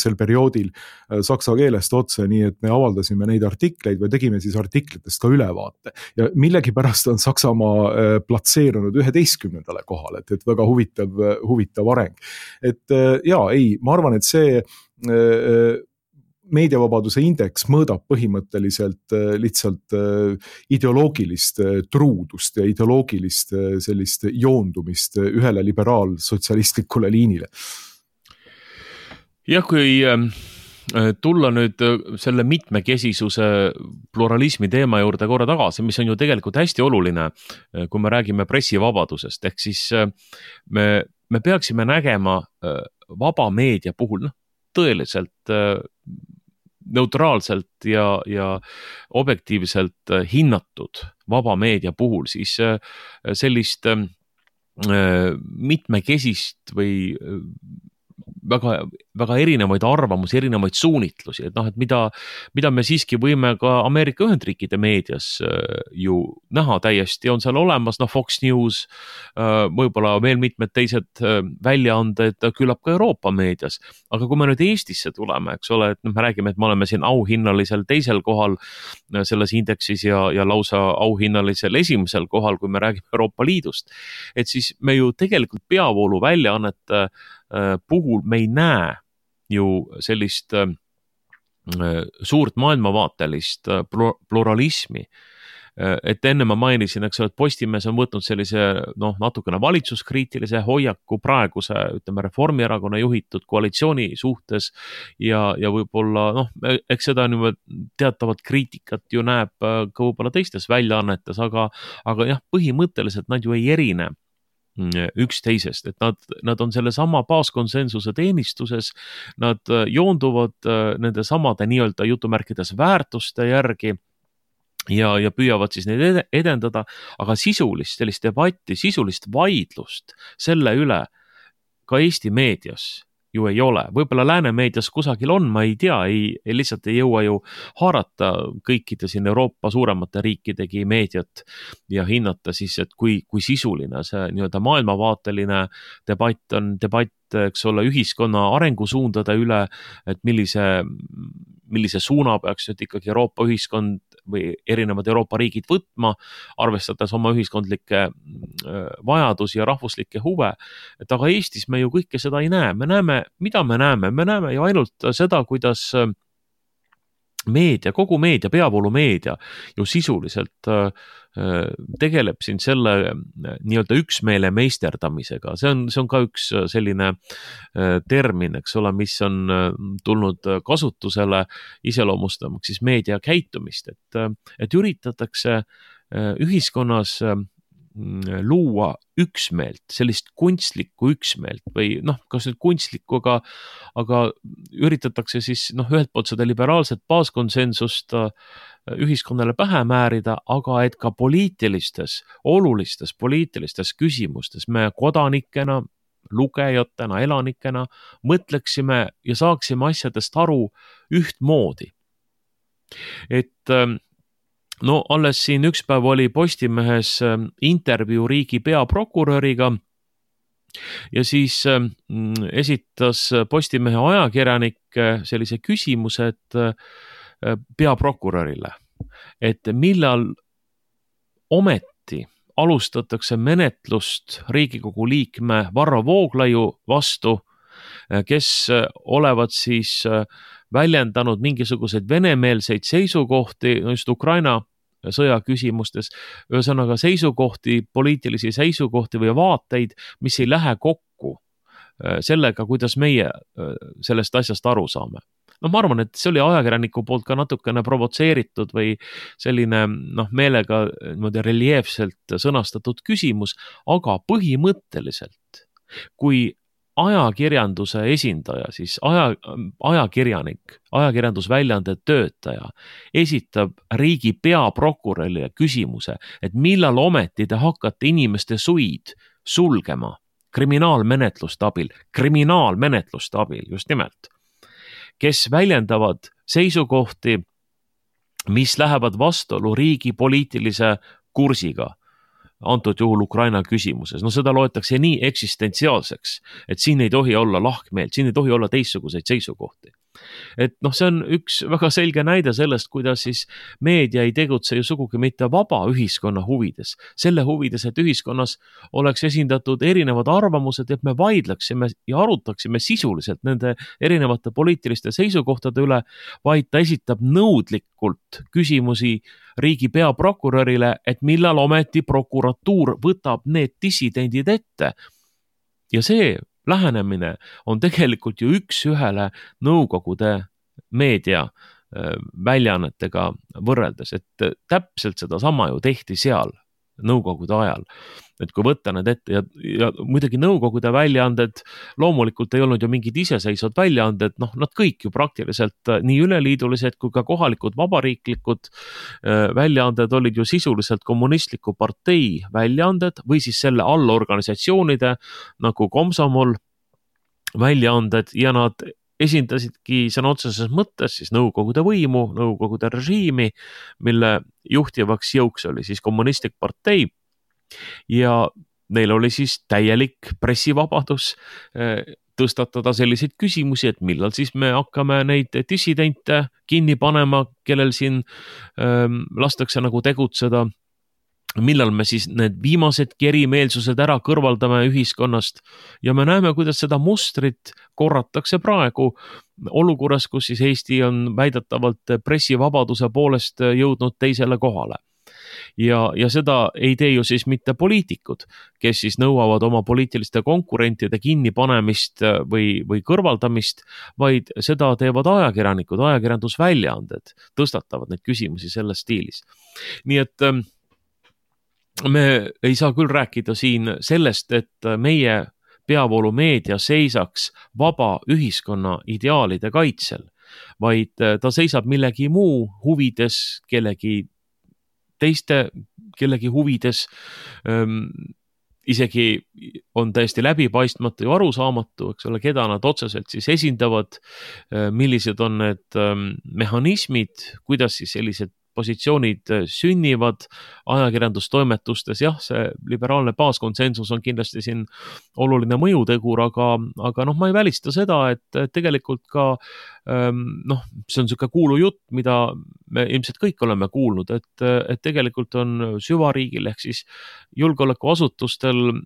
sel perioodil saksa keelest otse, nii et me avaldasime neid artikleid või tegime siis artiklitest ka ülevaate. Ja millegipärast on Saksamaa platseerunud üheteistkümnendale kohale, et, et väga huvitav, huvitav areng. Et jaa, ei, ma arvan, et see meediavabaduse indeks mõõdab põhimõtteliselt lihtsalt ideoloogilist truudust ja ideoloogilist sellist joondumist ühele liberaalsotsialistlikule liinile. Jah, kui tulla nüüd selle mitmekesisuse pluralismi teema juurde korra tagasi, mis on ju tegelikult hästi oluline, kui me räägime pressivabadusest, ehk siis me, me peaksime nägema vaba meedia puhul noh, tõeliselt neutraalselt ja, ja objektiivselt hinnatud vaba meedia puhul siis sellist mitmekesist või väga, väga erinevaid arvamusi, erinevaid suunitlusi, et noh, et mida, mida me siiski võime ka Ameerika Ühendriikide meedias ju näha täiesti, on seal olemas, noh, Fox News, võib-olla veel mitmed teised väljaanded, küllap ka Euroopa meedias. Aga kui me nüüd Eestisse tuleme, eks ole, et noh, me räägime, et me oleme siin auhinnalisel teisel kohal selles indeksis ja, ja lausa auhinnalisel esimesel kohal, kui me räägime Euroopa Liidust, et siis me ju tegelikult peavoolu väljaannete puhul me ei näe ju sellist suurt maailmavaatelist pluralismi. Et enne ma mainisin, eks ole, et Postimees on võtnud sellise noh, natukene valitsuskriitilise hoiaku praeguse, ütleme, Reformierakonna juhitud koalitsiooni suhtes ja, ja võib-olla noh, eks seda niimoodi teatavat kriitikat ju näeb ka võib-olla teistes väljaannetes, aga, aga jah, põhimõtteliselt nad ju ei erine üksteisest, et nad, nad on selle sama baaskonsensuse teenistuses, nad joonduvad nende samade nii-öelda jutumärkides väärtuste järgi ja, ja püüavad siis neid edendada, aga sisulist sellist debatti, sisulist vaidlust selle üle ka Eesti meedias ju ei ole. Võib-olla lääne meedias kusagil on, ma ei tea, ei, ei lihtsalt ei jõua ju haarata kõikide siin Euroopa suuremate riikidegi meediat ja hinnata siis, et kui, kui sisuline see nii-öelda maailmavaateline debatt on, debatt, eks ole, ühiskonna arengusuundade üle, et millise, millise suuna peaks nüüd ikkagi Euroopa ühiskond või erinevad Euroopa riigid võtma, arvestades oma ühiskondlikke vajadusi ja rahvuslikke huve. Et aga Eestis me ju kõike seda ei näe. Me näeme, mida me näeme? Me näeme ju ainult seda, kuidas meedia, kogu meedia, peavoolu meedia ju sisuliselt tegeleb siin selle nii-öelda üksmeele meisterdamisega. See on, see on ka üks selline termin, eks ole, mis on tulnud kasutusele iseloomustamaks siis meedia käitumist, et, et üritatakse ühiskonnas luua üksmeelt, sellist kunstlikku üksmeelt või noh, kas nüüd kunstlikku, aga, aga üritatakse siis noh, ühelt poolt seda liberaalset baaskonsensust ühiskonnale pähe määrida, aga et ka poliitilistes, olulistes poliitilistes küsimustes me kodanikena, lugejatena, elanikena mõtleksime ja saaksime asjadest aru ühtmoodi. Et no alles siin üks päev oli Postimehes intervjuu riigi peaprokuröriga ja siis esitas Postimehe ajakirjanik sellise küsimuse, et peaprokurörile, et millal ometi alustatakse menetlust Riigikogu liikme Varro Vooglaiu vastu, kes olevat siis väljendanud mingisuguseid venemeelseid seisukohti just Ukraina sõja küsimustes, ühesõnaga seisukohti, poliitilisi seisukohti või vaateid, mis ei lähe kokku sellega, kuidas meie sellest asjast aru saame. No ma arvan, et see oli ajakirjaniku poolt ka natukene provotseeritud või selline noh, meelega niimoodi reljeefselt sõnastatud küsimus, aga põhimõtteliselt, kui ajakirjanduse esindaja, siis aja, ajakirjanik, ajakirjandusväljaande töötaja esitab riigi peaprokurörile küsimuse, et millal ometi te hakkate inimeste suid sulgema kriminaalmenetluste abil, kriminaalmenetluste abil just nimelt, kes väljendavad seisukohti, mis lähevad vastuolu riigi poliitilise kursiga, antud juhul Ukraina küsimuses. No seda loetakse nii eksistentsiaalseks, et siin ei tohi olla lahkmeelt, siin ei tohi olla teistsuguseid seisukohti. Et noh, see on üks väga selge näide sellest, kuidas siis meedia ei tegutse ju sugugi mitte vaba ühiskonna huvides. Selle huvides, et ühiskonnas oleks esindatud erinevad arvamused, et me vaidleksime ja arutaksime sisuliselt nende erinevate poliitiliste seisukohtade üle, vaid ta esitab nõudlikult küsimusi riigi peaprokurörile, et millal ometi prokuratuur võtab need dissidendid ette. Ja see lähenemine on tegelikult ju üks ühele nõukogude meedia väljaannetega võrreldes, et täpselt seda sama ju tehti seal nõukogude ajal. Et kui võtta need ette ja, ja muidugi nõukogude väljaanded loomulikult ei olnud ju mingid iseseisvad väljaanded, noh, nad kõik ju praktiliselt nii üleliidulised kui ka kohalikud vabariiklikud väljaanded olid ju sisuliselt kommunistliku partei väljaanded või siis selle allorganisatsioonide nagu Komsomol väljaanded ja nad esindasidki sõna otseses mõttes siis nõukogude võimu, nõukogude režiimi, mille juhtivaks jõuks oli siis kommunistlik partei ja neil oli siis täielik pressivabadus tõstatada selliseid küsimusi, et millal siis me hakkame neid dissidente kinni panema, kellel siin ähm, lastakse nagu tegutseda, millal me siis need viimased kerimeelsused ära kõrvaldame ühiskonnast ja me näeme, kuidas seda mustrit korratakse praegu olukorras, kus siis Eesti on väidetavalt pressivabaduse poolest jõudnud teisele kohale. Ja, ja seda ei tee ju siis mitte poliitikud, kes siis nõuavad oma poliitiliste konkurentide kinnipanemist või, või kõrvaldamist, vaid seda teevad ajakirjanikud, ajakirjandusväljaanded, tõstatavad neid küsimusi selles stiilis. Nii et me ei saa küll rääkida siin sellest, et meie peavoolumeedia seisaks vaba ühiskonna ideaalide kaitsel, vaid ta seisab millegi muu huvides, kellegi teiste, kellegi huvides, ähm, isegi on täiesti läbipaistmatu ja arusaamatu, eks ole, keda nad otseselt siis esindavad, millised on need ähm, mehhanismid, kuidas siis sellised positsioonid sünnivad ajakirjandustoimetustes. Jah, see liberaalne baaskonsensus on kindlasti siin oluline mõjutegur, aga, aga noh, ma ei välista seda, et tegelikult ka noh, see on selline kuulu jutt, mida me ilmselt kõik oleme kuulnud, et, et tegelikult on süvariigil ehk siis julgeolekuasutustel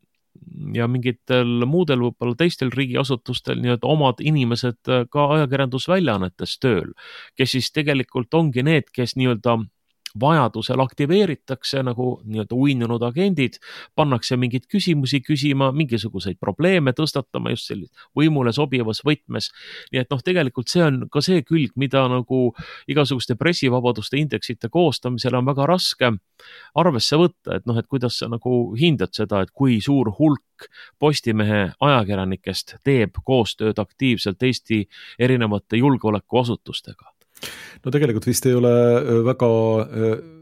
ja mingitel muudel võib-olla teistel riigiasutustel nii-öelda omad inimesed ka ajakirjandusväljaannetes tööl, kes siis tegelikult ongi need, kes nii-öelda vajadusel aktiveeritakse nagu nii-öelda uinunud agendid, pannakse mingeid küsimusi küsima, mingisuguseid probleeme tõstatama just sellist võimule sobivas võtmes. Nii et noh, tegelikult see on ka see külg, mida nagu igasuguste pressivabaduste indeksite koostamisel on väga raske arvesse võtta, et noh, et kuidas sa nagu hindad seda, et kui suur hulk Postimehe ajakirjanikest teeb koostööd aktiivselt Eesti erinevate julgeolekuasutustega? No tegelikult vist ei ole väga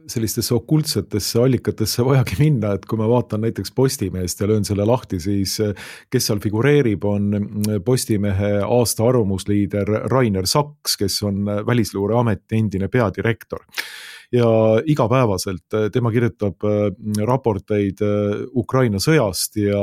sellistesse okultsetesse allikatesse vajagi minna, et kui ma vaatan näiteks Postimehest ja löön selle lahti, siis kes seal figureerib, on Postimehe aasta arvamusliider Rainer Saks, kes on Välisluureameti endine peadirektor. Ja igapäevaselt tema kirjutab raporteid Ukraina sõjast ja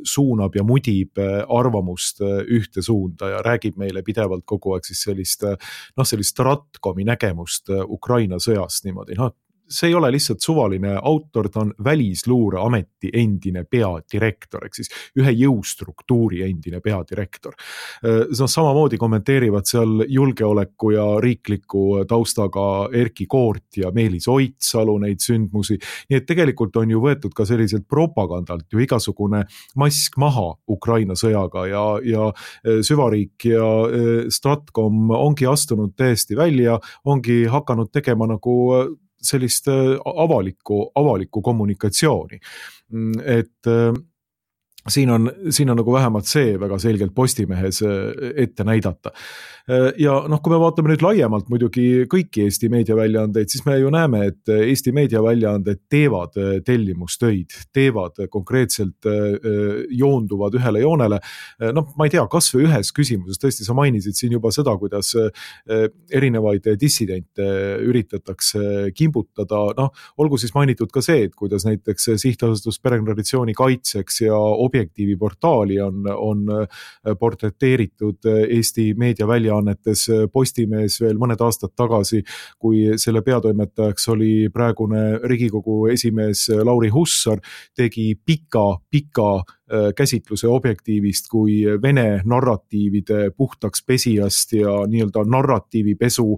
suunab ja mudib arvamust ühte suunda ja räägib meile pidevalt kogu aeg siis sellist, noh, sellist Stratkomi nägemust Ukraina sõjast niimoodi. No, see ei ole lihtsalt suvaline autor, ta on Välisluureameti endine peadirektor, ehk siis ühe jõustruktuuri endine peadirektor. No, samamoodi kommenteerivad seal julgeoleku ja riikliku taustaga Erki Koort ja Meelis Oitsalu neid sündmusi. Nii et tegelikult on ju võetud ka selliselt propagandalt ju igasugune mask maha Ukraina sõjaga ja, ja süvariik ja Stratkom ongi astunud täiesti välja, ongi hakanud tegema nagu sellist avalikku, avalikku kommunikatsiooni. Et siin on, siin on nagu vähemalt see väga selgelt Postimehes ette näidata. Ja noh, kui me vaatame nüüd laiemalt muidugi kõiki Eesti meediaväljaandeid, siis me ju näeme, et Eesti meediaväljaanded teevad tellimustöid, teevad konkreetselt, joonduvad ühele joonele. Noh, ma ei tea, kas või ühes küsimuses, tõesti sa mainisid siin juba seda, kuidas erinevaid dissidente üritatakse kimbutada. Noh, olgu siis mainitud ka see, et kuidas näiteks sihtasutus perekonnatraditsiooni kaitseks ja Objektiivi portaali on, on portreteeritud Eesti meediaväljaannetes Postimehes veel mõned aastad tagasi, kui selle peatoimetajaks oli praegune Riigikogu esimees Lauri Hussar, tegi pika, pika käsitluse Objektiivist kui Vene narratiivide puhtaks pesijast ja nii-öelda narratiivipesu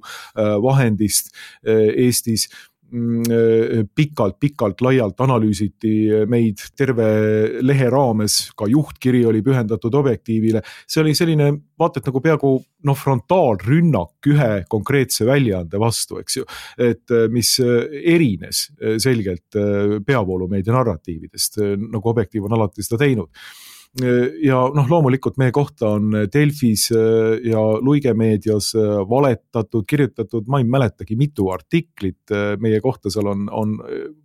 vahendist Eestis. pikalt-pikalt laialt analüüsiti meid terve lehe raames, ka juhtkiri oli pühendatud Objektiivile. See oli selline, vaata, et nagu peaaegu noh, frontaalrünnak ühe konkreetse väljaande vastu, eks ju, et mis erines selgelt peavoolumeedia narratiividest, nagu Objektiiv on alati seda teinud. Ja noh, loomulikult meie kohta on Delfis ja Luige meedias valetatud, kirjutatud, ma ei mäletagi mitu artiklit meie kohta seal on, on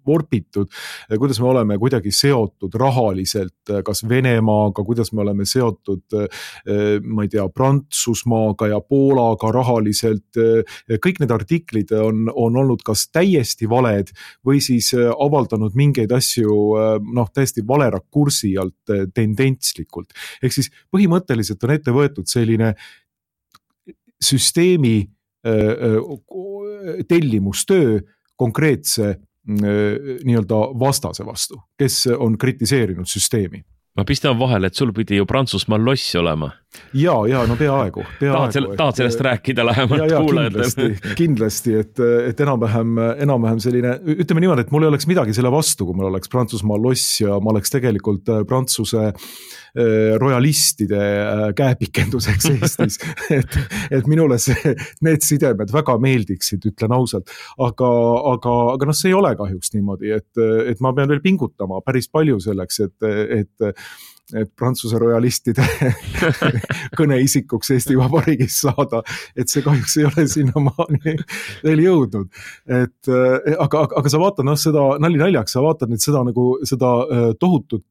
vorpitud, kuidas me oleme kuidagi seotud rahaliselt kas Venemaaga, kuidas me oleme seotud, ma ei tea, Prantsusmaaga ja Poolaga rahaliselt. Kõik need artiklid on, on olnud kas täiesti valed või siis avaldanud mingeid asju noh, täiesti vale rakursi alt tendents. Ehk siis põhimõtteliselt on ette võetud selline süsteemi tellimustöö konkreetse nii-öelda vastase vastu, kes on kritiseerinud süsteemi. Ma pistan vahele, et sul pidi ju Prantsusmaal loss olema. Ja, ja, no peaaegu. Tahad, sel, tahad sellest et, rääkida lähemalt ja, ja, kuulajatele? Kindlasti, kindlasti, et, et enam-vähem, enam-vähem selline, ütleme niimoodi, et mul ei oleks midagi selle vastu, kui mul oleks Prantsusmaal loss ja ma oleks tegelikult Prantsuse royalistide käepikenduseks Eestis. et, et minule see, need sidemed väga meeldiksid, ütlen ausalt. Aga, aga, aga noh, see ei ole kahjuks niimoodi, et, et ma pean veel pingutama päris palju selleks, et, et et Prantsuse royalistide kõneisikuks Eesti Vabariigis saada, et see kahjuks ei ole sinnamaani veel jõudnud. Et, aga, aga sa vaatad, noh, seda nali naljaks, sa vaatad nüüd seda, nagu, seda tohutut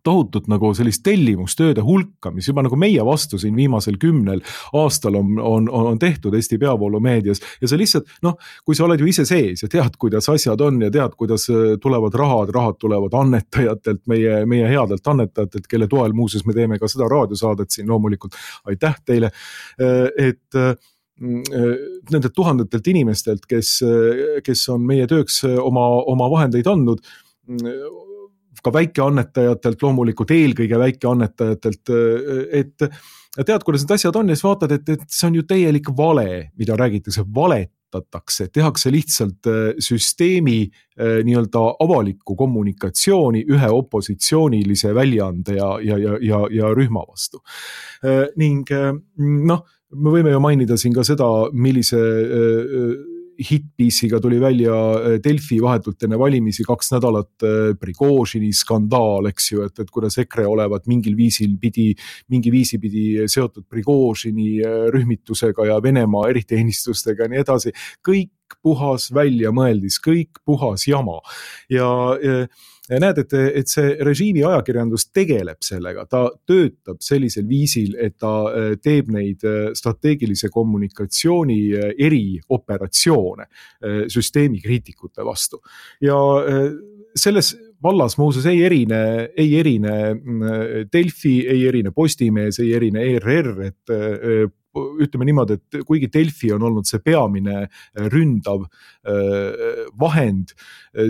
tohutut nagu sellist tellimustööde hulka, mis juba nagu meie vastu siin viimasel kümnel aastal on, on, on tehtud Eesti peavoolumeedias ja see lihtsalt, noh, kui sa oled ju ise sees ja tead, kuidas asjad on ja tead, kuidas tulevad rahad, rahad tulevad annetajatelt, meie, meie headelt annetajatelt, kelle toel muuseas me teeme ka seda raadiosaadet siin loomulikult, aitäh teile, et nendelt tuhandetelt inimestelt, kes, kes on meie tööks oma, oma vahendeid andnud, ka väikeannetajatelt, loomulikult eelkõige väikeannetajatelt, et tead, kuidas need asjad on ja siis vaatad, et, et see on ju täielik vale, mida räägitakse, valetatakse, tehakse lihtsalt süsteemi nii-öelda avalikku kommunikatsiooni ühe opositsioonilise väljaande ja, ja, ja, ja, ja rühma vastu. Ning noh, me võime ju mainida siin ka seda, millise hitpiisiga tuli välja Delfi vahetult enne valimisi kaks nädalat Prigožini skandaal, eks ju, et, et kuidas EKRE olevat mingil viisil pidi, mingi viisi pidi seotud Prigožini rühmitusega ja Venemaa eriteenistustega ja nii edasi. Kõik puhas väljamõeldis, kõik puhas jama. Ja, ja näed, et, et see režiimi ajakirjandus tegeleb sellega, ta töötab sellisel viisil, et ta teeb neid strateegilise kommunikatsiooni erioperatsioone süsteemi kriitikute vastu. Ja selles vallas muuseas ei erine, ei erine Delfi, ei erine Postimees, ei erine E R R, et ütleme niimoodi, et kuigi Delfi on olnud see peamine ründav vahend,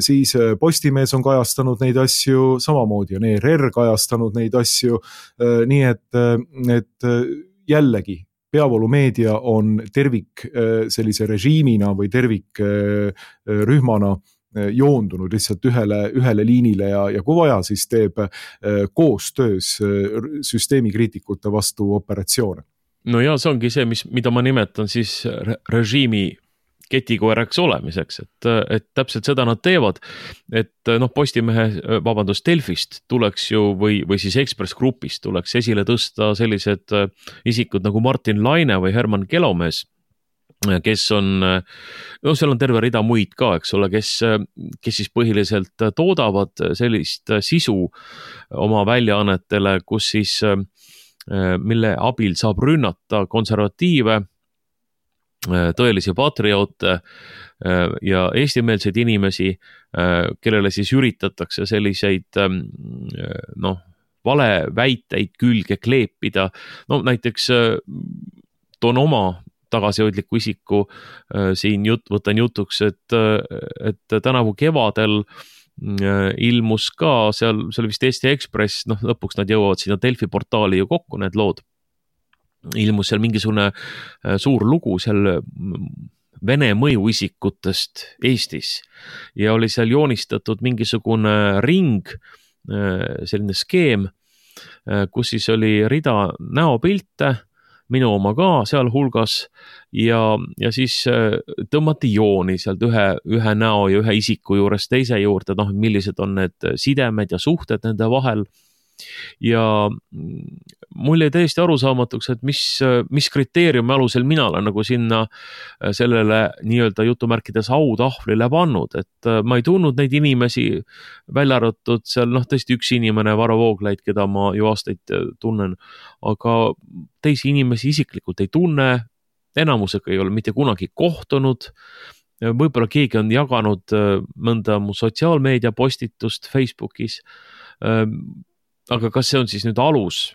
siis Postimees on kajastanud neid asju, samamoodi on E R R kajastanud neid asju, nii et, et jällegi peavoolumeedia on tervik sellise režiimina või tervik rühmana joondunud lihtsalt ühele, ühele liinile ja, ja kui vaja, siis teeb koostöös süsteemi kriitikute vastu operatsioone. No ja see ongi see, mis, mida ma nimetan siis režiimi ketikoeraks olemiseks, et, et täpselt seda nad teevad, et noh, Postimehe, vabandust, Delfist tuleks ju või, või siis Ekspress Grupist tuleks esile tõsta sellised isikud nagu Martin Laine või Herman Kelomees, kes on, no seal on terve rida muid ka, eks ole, kes, kes siis põhiliselt toodavad sellist sisu oma väljaannetele, kus siis mille abil saab rünnata konservatiive, tõelisi patrioote ja eestimeelseid inimesi, kellele siis üritatakse selliseid noh, valeväiteid külge kleepida. No näiteks toon oma tagasihoidliku isiku siin jut, võtan jutuks, et, et tänavu kevadel ilmus ka seal, seal vist Eesti Ekspress, noh lõpuks nad jõuavad sinna Delfi portaali ju kokku, need lood. Ilmus seal mingisugune suur lugu seal Vene mõjuisikutest Eestis ja oli seal joonistatud mingisugune ring, selline skeem, kus siis oli rida näopilte, minu oma ka sealhulgas ja, ja siis tõmmati jooni sealt ühe, ühe näo ja ühe isiku juures teise juurde, noh, millised on need sidemed ja suhted nende vahel. Ja mul jäi täiesti arusaamatuks, et mis, mis kriteeriumi alusel mina olen nagu sinna sellele nii-öelda jutumärkides autahvlile pannud, et ma ei tundnud neid inimesi välja arvatud seal, noh, tõesti üks inimene, Varro Vooglaid, keda ma ju aastaid tunnen, aga teisi inimesi isiklikult ei tunne, enamusega ei ole mitte kunagi kohtunud, võib-olla keegi on jaganud mõnda mu sotsiaalmeedia postitust Facebookis, aga kas see on siis nüüd alus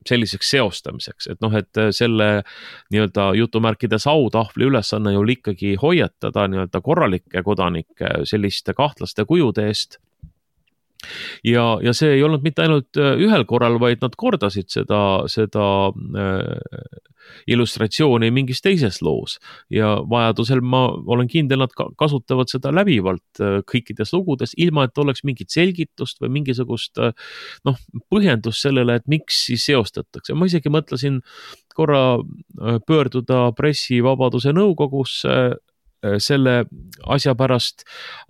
selliseks seostamiseks, et noh, et selle nii-öelda jutumärkides autahvli ülesanne ju ikkagi hoiatada nii-öelda korralikke kodanikke selliste kahtlaste kujude eest. Ja, ja see ei olnud mitte ainult ühel korral, vaid nad kordasid seda, seda äh, illustratsiooni mingis teises loos ja vajadusel ma olen kindel, nad kasutavad seda läbivalt kõikides lugudes, ilma et oleks mingit selgitust või mingisugust noh, põhjendust sellele, et miks siis seostatakse. Ma isegi mõtlesin korra pöörduda pressivabaduse nõukogusse selle asja pärast,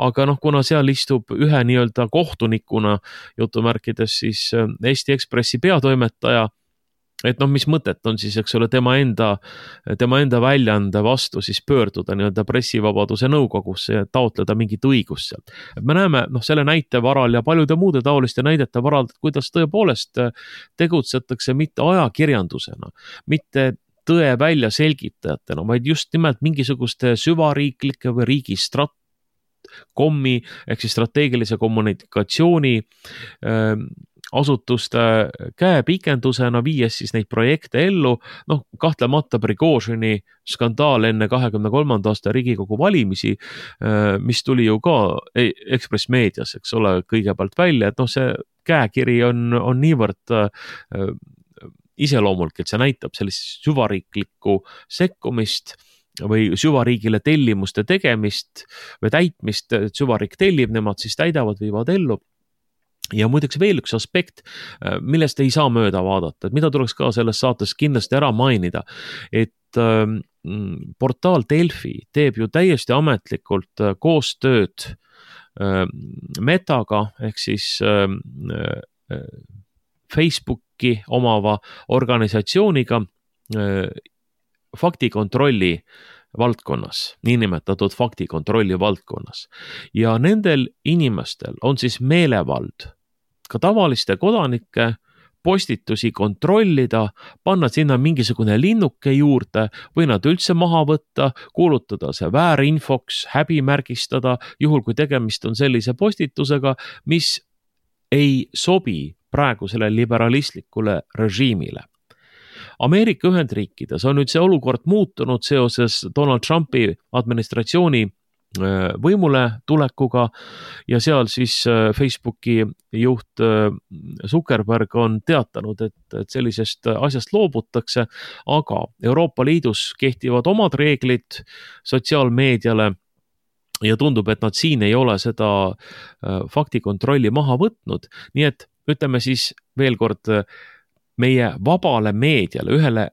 aga noh, kuna seal istub ühe nii-öelda kohtunikuna jutumärkides siis Eesti Ekspressi peatoimetaja, et noh, mis mõtet on siis, eks ole, tema enda, tema enda väljaande vastu siis pöörduda nii-öelda pressivabaduse nõukogusse ja taotleda mingit õigust sealt. Et me näeme noh, selle näite varal ja paljude muude taoliste näidete varal, kuidas tõepoolest tegutsetakse mitte ajakirjandusena, mitte tõe välja selgitajatena, vaid just nimelt mingisuguste süvariiklike või riigi strat- kommi ehk siis strateegilise kommunikatsiooni äh, asutuste käepikendusena viies siis neid projekte ellu, noh kahtlemata Prigožini skandaal enne kahekümne kolmanda aasta Riigikogu valimisi, äh, mis tuli ju ka Ekspress meedias, eks ole, kõigepealt välja, et noh, see käekiri on, on niivõrd äh, iseloomulik, et see näitab sellist süvariiklikku sekkumist või süvariigile tellimuste tegemist või täitmist, et süvariik tellib, nemad siis täidavad, viivad ellu. Ja muideks veel üks aspekt, millest ei saa mööda vaadata, et mida tuleks ka selles saates kindlasti ära mainida, et äh, portaal Delfi teeb ju täiesti ametlikult koostööd äh, Metaga ehk siis äh, äh, Facebooki omava organisatsiooniga faktikontrolli valdkonnas, niinimetatud faktikontrolli valdkonnas. Ja nendel inimestel on siis meelevald ka tavaliste kodanike postitusi kontrollida, panna sinna mingisugune linnuke juurde või nad üldse maha võtta, kuulutada see väärinfoks, häbimärgistada, juhul kui tegemist on sellise postitusega, mis ei sobi praegusele liberalistlikule režiimile. Ameerika Ühendriikides on nüüd see olukord muutunud seoses Donald Trumpi administratsiooni võimule tulekuga ja seal siis Facebooki juht Zuckerberg on teatanud, et, et sellisest asjast loobutakse, aga Euroopa Liidus kehtivad omad reeglid sotsiaalmeediale ja tundub, et nad siin ei ole seda faktikontrolli maha võtnud, nii et ütleme siis veel kord meie vabale meediale, ühele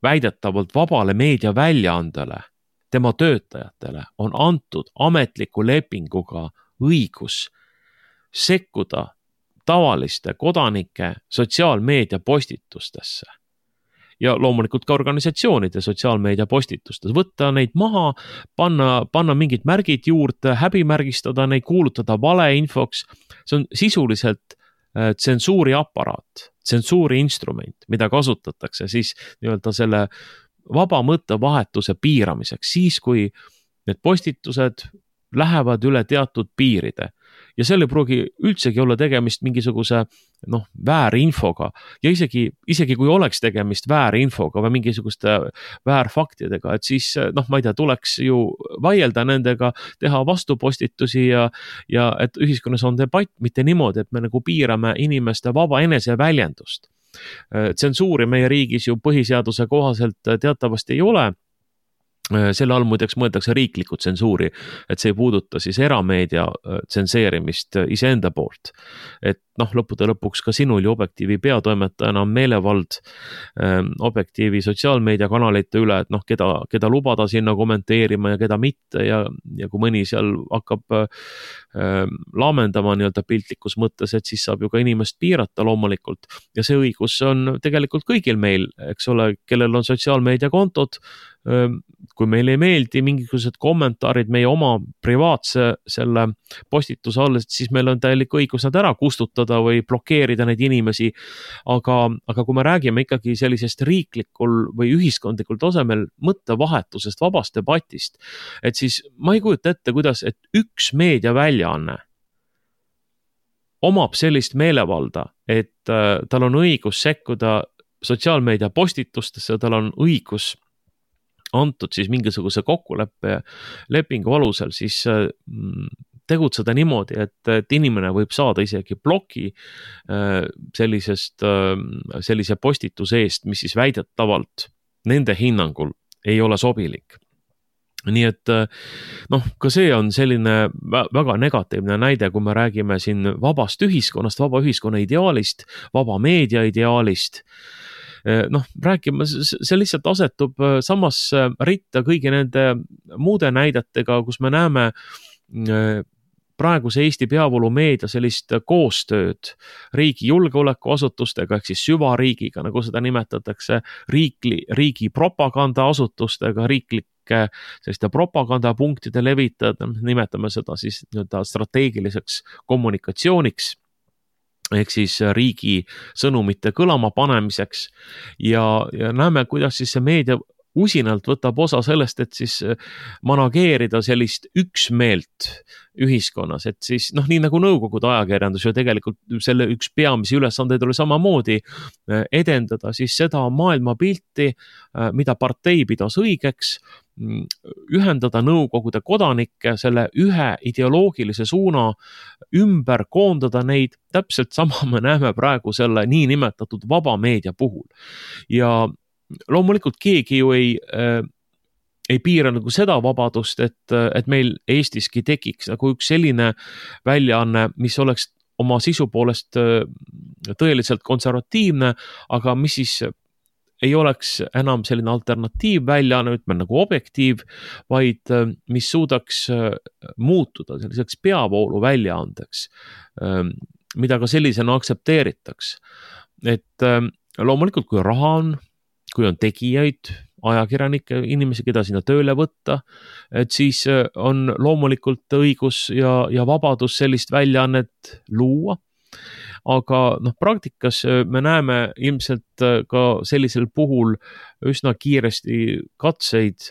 väidetavalt vabale meedia väljaandele, tema töötajatele on antud ametliku lepinguga õigus sekkuda tavaliste kodanike sotsiaalmeedia postitustesse. Ja loomulikult ka organisatsioonide sotsiaalmeedia postitustes, võtta neid maha, panna, panna mingid märgid juurde, häbimärgistada neid, kuulutada valeinfoks, see on sisuliselt tsensuuri aparaat, tsensuuri instrument, mida kasutatakse siis nii-öelda selle vaba mõttevahetuse piiramiseks, siis kui need postitused lähevad üle teatud piiride ja seal ei pruugi üldsegi olla tegemist mingisuguse noh, väärinfoga ja isegi, isegi kui oleks tegemist väärinfoga või mingisuguste väärfaktidega, et siis noh, ma ei tea, tuleks ju vaielda nendega, teha vastupostitusi ja, ja et ühiskonnas on debatt, mitte niimoodi, et me nagu piirame inimeste vaba eneseväljendust. Tsensuuri meie riigis ju põhiseaduse kohaselt teatavasti ei ole. selle all muideks mõeldakse riiklikku tsensuuri, et see ei puuduta siis erameedia tsenseerimist iseenda poolt. Et noh, lõppude lõpuks ka sinul ju Objektiivi peatoimetajana on meelevald ähm, Objektiivi sotsiaalmeediakanalite üle, et noh, keda, keda lubada sinna kommenteerima ja keda mitte ja, ja kui mõni seal hakkab ähm, laamendama nii-öelda piltlikus mõttes, et siis saab ju ka inimest piirata loomulikult. Ja see õigus on tegelikult kõigil meil, eks ole, kellel on sotsiaalmeediakontod, kui meil ei meeldi mingisugused kommentaarid meie oma privaatse selle postituse all, siis meil on täielik õigus nad ära kustutada või blokeerida neid inimesi, aga, aga kui me räägime ikkagi sellisest riiklikul või ühiskondlikul tasemel mõttevahetusest, vabast debatist, et siis ma ei kujuta ette, kuidas, et üks meediaväljaanne omab sellist meelevalda, et äh, tal on õigus sekkuda sotsiaalmeedia postitustesse, tal on õigus antud siis mingisuguse kokkuleppe lepingu alusel, siis tegutseda niimoodi, et, et inimene võib saada isegi bloki sellisest, sellise postituse eest, mis siis väidetavalt nende hinnangul ei ole sobilik. Nii et noh, ka see on selline väga negatiivne näide, kui me räägime siin vabast ühiskonnast, vaba ühiskonna ideaalist, vaba meedia ideaalist. Noh, rääkima, see lihtsalt asetub samas ritta kõigi nende muude näidetega, kus me näeme praeguse Eesti peavoolumeedia sellist koostööd riigi julgeolekuasutustega, ehk siis süvariigiga, nagu seda nimetatakse, riikli, riigi propagandaasutustega, riiklike selliste propagandapunktide levitajad, nimetame seda siis nii-öelda strateegiliseks kommunikatsiooniks, ehk siis riigi sõnumite kõlama panemiseks ja, ja näeme, kuidas siis see meedia usinalt võtab osa sellest, et siis manageerida sellist üksmeelt ühiskonnas, et siis noh, nii nagu Nõukogude ajakirjandus ju tegelikult selle üks peamisi ülesandeid oli samamoodi edendada siis seda maailmapilti, mida partei pidas õigeks, ühendada Nõukogude kodanikke selle ühe ideoloogilise suuna ümber, koondada neid, täpselt sama me näeme praegu selle nii nimetatud vaba meedia puhul. Ja loomulikult keegi ju ei, äh, ei piira nagu seda vabadust, et, et meil Eestiski tekiks nagu üks selline väljaanne, mis oleks oma sisu poolest äh, tõeliselt konservatiivne, aga mis siis ei oleks enam selline alternatiiv väljaanne, ütleme nagu Objektiiv, vaid äh, mis suudaks äh, muutuda selliseks peavoolu väljaandeks, äh, mida ka sellisena aktsepteeritaks. Et äh, loomulikult, kui raha on, kui on tegijaid, ajakirjanikke, inimesi, keda sinna tööle võtta, et siis on loomulikult õigus ja, ja vabadus sellist väljaannet luua. Aga noh, praktikas me näeme ilmselt ka sellisel puhul üsna kiiresti katseid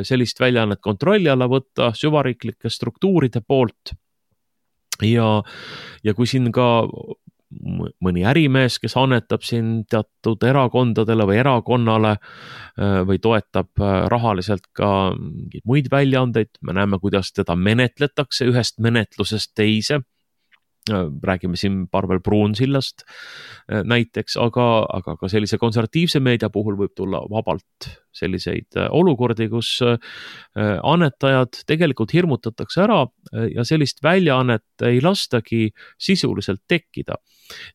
sellist väljaannet kontrolli alla võtta süvariiklike struktuuride poolt. Ja, ja kui siin ka mõni ärimees, kes annetab siin teatud erakondadele või erakonnale või toetab rahaliselt ka mingeid muid väljaandeid, me näeme, kuidas teda menetletakse ühest menetlusest teise. Räägime siin Parvel Pruunsillast näiteks, aga, aga ka sellise konservatiivse meedia puhul võib tulla vabalt selliseid olukordi, kus annetajad tegelikult hirmutatakse ära ja sellist väljaannet ei lastagi sisuliselt tekkida.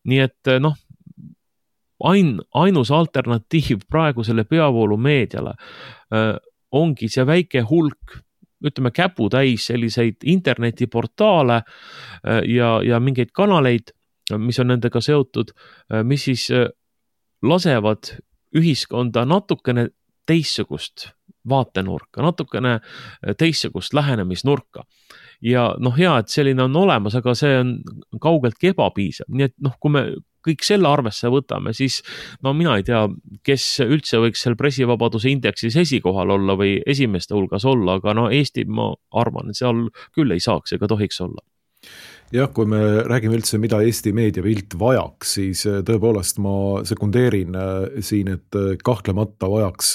Nii et noh, ain, ainus alternatiiv praegusele peavoolu meediale ongi see väike hulk, ütleme käputäis selliseid internetiportaale ja, ja mingeid kanaleid, mis on nendega seotud, mis siis lasevad ühiskonda natukene teistsugust vaatenurka, natukene teistsugust lähenemisnurka. Ja noh, hea, et selline on olemas, aga see on kaugeltki ebapiisav. Nii et noh, kui me kõik selle arvesse võtame, siis no mina ei tea, kes üldse võiks seal pressivabaduse indeksis esikohal olla või esimeste hulgas olla, aga no Eesti, ma arvan, seal küll ei saaks ega tohiks olla. jah, kui me räägime üldse, mida Eesti meediapilt vajaks, siis tõepoolest ma sekundeerin siin, et kahtlemata vajaks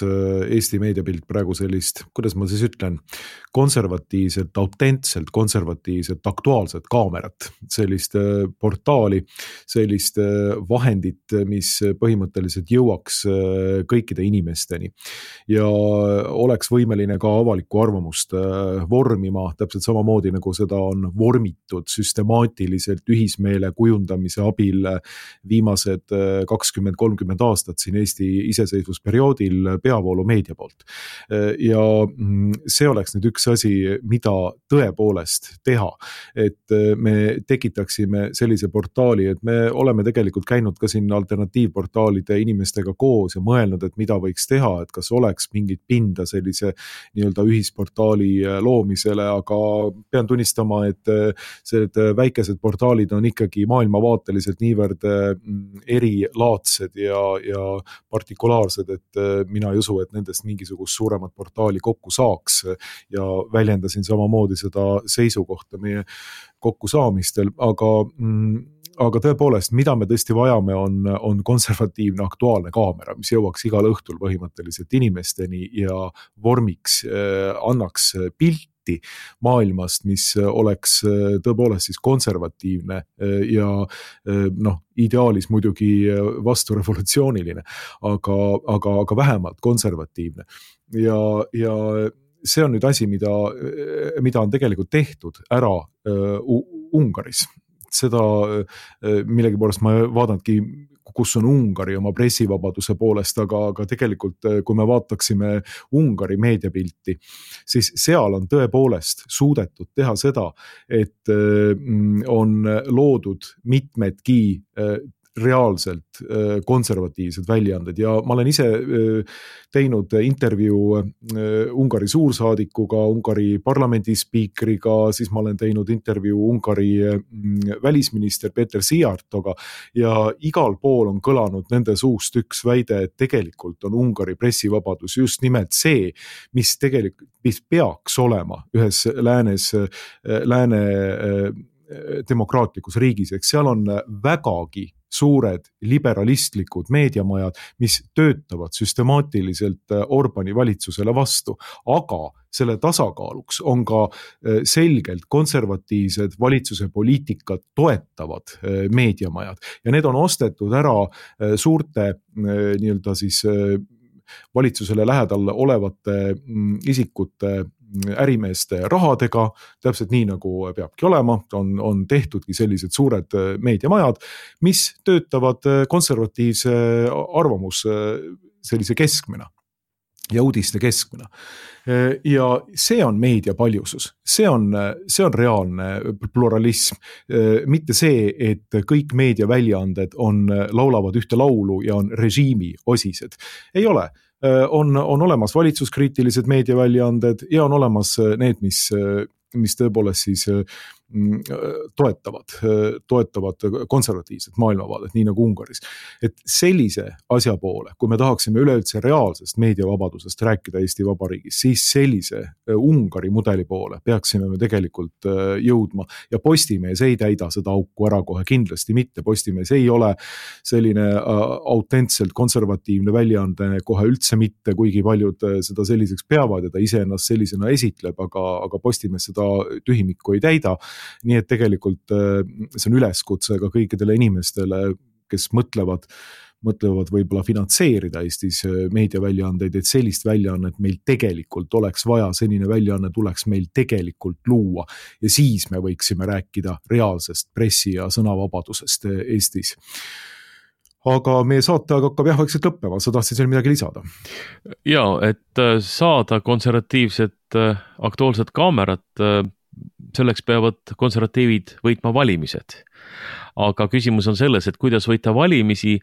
Eesti meediapilt praegu sellist, kuidas ma siis ütlen, konservatiivselt, autentselt, konservatiivselt, aktuaalset kaamerat, sellist portaali, sellist vahendit, mis põhimõtteliselt jõuaks kõikide inimesteni ja oleks võimeline ka avalikku arvamust vormima, täpselt samamoodi nagu seda on vormitud süstemaatiliselt ühismeele kujundamise abil viimased kakskümmend kolmkümmend aastat siin Eesti iseseisvusperioodil peavoolu meedia poolt. Ja see oleks nüüd üks asi, mida tõepoolest teha, et me tekitaksime sellise portaali, et me oleme tegelikult käinud ka siin alternatiivportaalide inimestega koos ja mõelnud, et mida võiks teha, et kas oleks mingit pinda sellise nii-öelda ühisportaali loomisele, aga pean tunnistama, et need väikesed portaalid on ikkagi maailmavaateliselt niivõrd erilaadsed ja, ja partikulaarsed, et mina ei usu, et nendest mingisugust suuremat portaali kokku saaks ja väljendasin samamoodi seda seisukohta meie kokkusaamistel, aga aga tõepoolest, mida me tõesti vajame, on, on konservatiivne aktuaalne kaamera, mis jõuaks igal õhtul põhimõtteliselt inimesteni ja vormiks, annaks pilti maailmast, mis oleks tõepoolest siis konservatiivne ja noh, ideaalis muidugi vastu revolutsiooniline, aga, aga, aga vähemalt konservatiivne. Ja, ja see on nüüd asi, mida, mida on tegelikult tehtud ära uh, Ungaris. Seda millegipoolest ma vaadangi, kus on Ungari oma pressivabaduse poolest, aga, aga tegelikult kui me vaataksime Ungari meediapilti, siis seal on tõepoolest suudetud teha seda, et on loodud mitmedki reaalselt konservatiivsed väljaanded ja ma olen ise teinud intervjuu Ungari suursaadikuga, Ungari parlamendi spiikriga, siis ma olen teinud intervjuu Ungari välisminister Peter Szijjártóga ja igal pool on kõlanud nende suust üks väide, et tegelikult on Ungari pressivabadus just nimelt see, mis tegelikult, mis peaks olema ühes läänes, lääne demokraatlikus riigis, eks seal on vägagi suured liberalistlikud meediamajad, mis töötavad süstemaatiliselt Orbani valitsusele vastu, aga selle tasakaaluks on ka selgelt konservatiivsed valitsuse poliitikat toetavad meediamajad ja need on ostetud ära suurte nii-öelda siis valitsusele lähedal olevate isikute ärimeeste rahadega, täpselt nii nagu peabki olema, on, on tehtudki sellised suured meediamajad, mis töötavad konservatiivse arvamus sellise keskmena ja uudiste keskmena. Ja see on meedia paljusus, see on, see on reaalne pluralism, mitte see, et kõik meediaväljaanded on, laulavad ühte laulu ja on režiimi osised. Ei ole. On, on olemas valitsuskriitilised meediaväljaanded ja on olemas need, mis, mis tõepoolest siis toetavad, toetavad konservatiivset maailmavaadet, nii nagu Ungaris. Et sellise asja poole, kui me tahaksime üleüldse reaalsest meediavabadusest rääkida Eesti Vabariigis, siis sellise Ungari mudeli poole peaksime me tegelikult jõudma ja Postimees ei täida seda auku ära kohe, kindlasti mitte. Postimees ei ole selline autentselt konservatiivne väljaande kohe üldse mitte, kuigi paljud seda selliseks peavad ja ta ise ennast sellisena esitleb, aga, aga Postimees seda tühimikku ei täida. Nii et tegelikult see on üleskutse ka kõikidele inimestele, kes mõtlevad, mõtlevad võib-olla finantseerida Eestis meediaväljaandeid, et sellist väljaannet meil tegelikult oleks vaja, senine väljaanne tuleks meil tegelikult luua ja siis me võiksime rääkida reaalsest pressi- ja sõnavabadusest Eestis. Aga meie saate aga hakkab jah vaikselt lõppema, sa tahtsid seal midagi lisada? Ja, et saada konservatiivset aktuaalset kaamerat, selleks peavad konservatiivid võitma valimised. Aga küsimus on selles, et kuidas võita valimisi,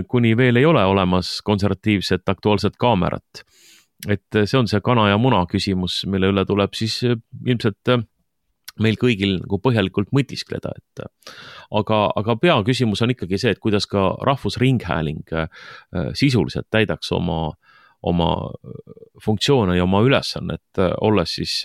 kuni veel ei ole olemas konservatiivset aktuaalset kaamerat. Et see on see kana ja muna küsimus, mille üle tuleb siis ilmselt meil kõigil nagu põhjalikult mõtiskleda. Et aga, aga peaküsimus on ikkagi see, et kuidas ka rahvusringhääling sisuliselt täidaks oma, oma funktsioone ja oma ülesannet, olles siis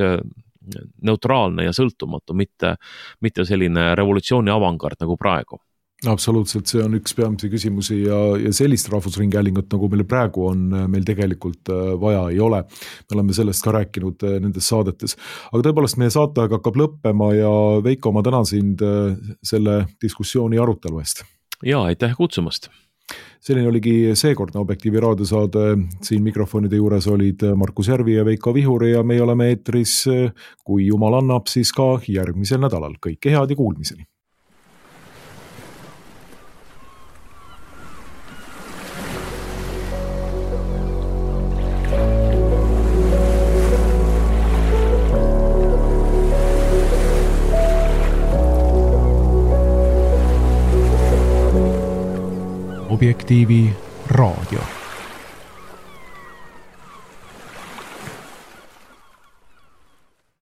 neutraalne ja sõltumatu, mitte, mitte selline revolutsiooni avangard nagu praegu. Absoluutselt, see on üks peamisi küsimusi ja, ja sellist rahvusringhäälingut, nagu meil praegu on, meil tegelikult vaja ei ole. Me oleme sellest ka rääkinud nendes saadetes. Aga tõepoolest, meie saateaeg hakkab lõppema ja Veiko, ma tänan sind selle diskussiooni arutelu eest. Jaa, aitäh kutsumast! Selline oligi seekordne Objektiivi raadiosaade. Siin mikrofonide juures olid Markus Järvi ja Veiko Vihuri ja me oleme eetris, kui jumal annab, siis ka järgmisel nädalal. Kõike head ja kuulmiseni! Objektiivi raadio.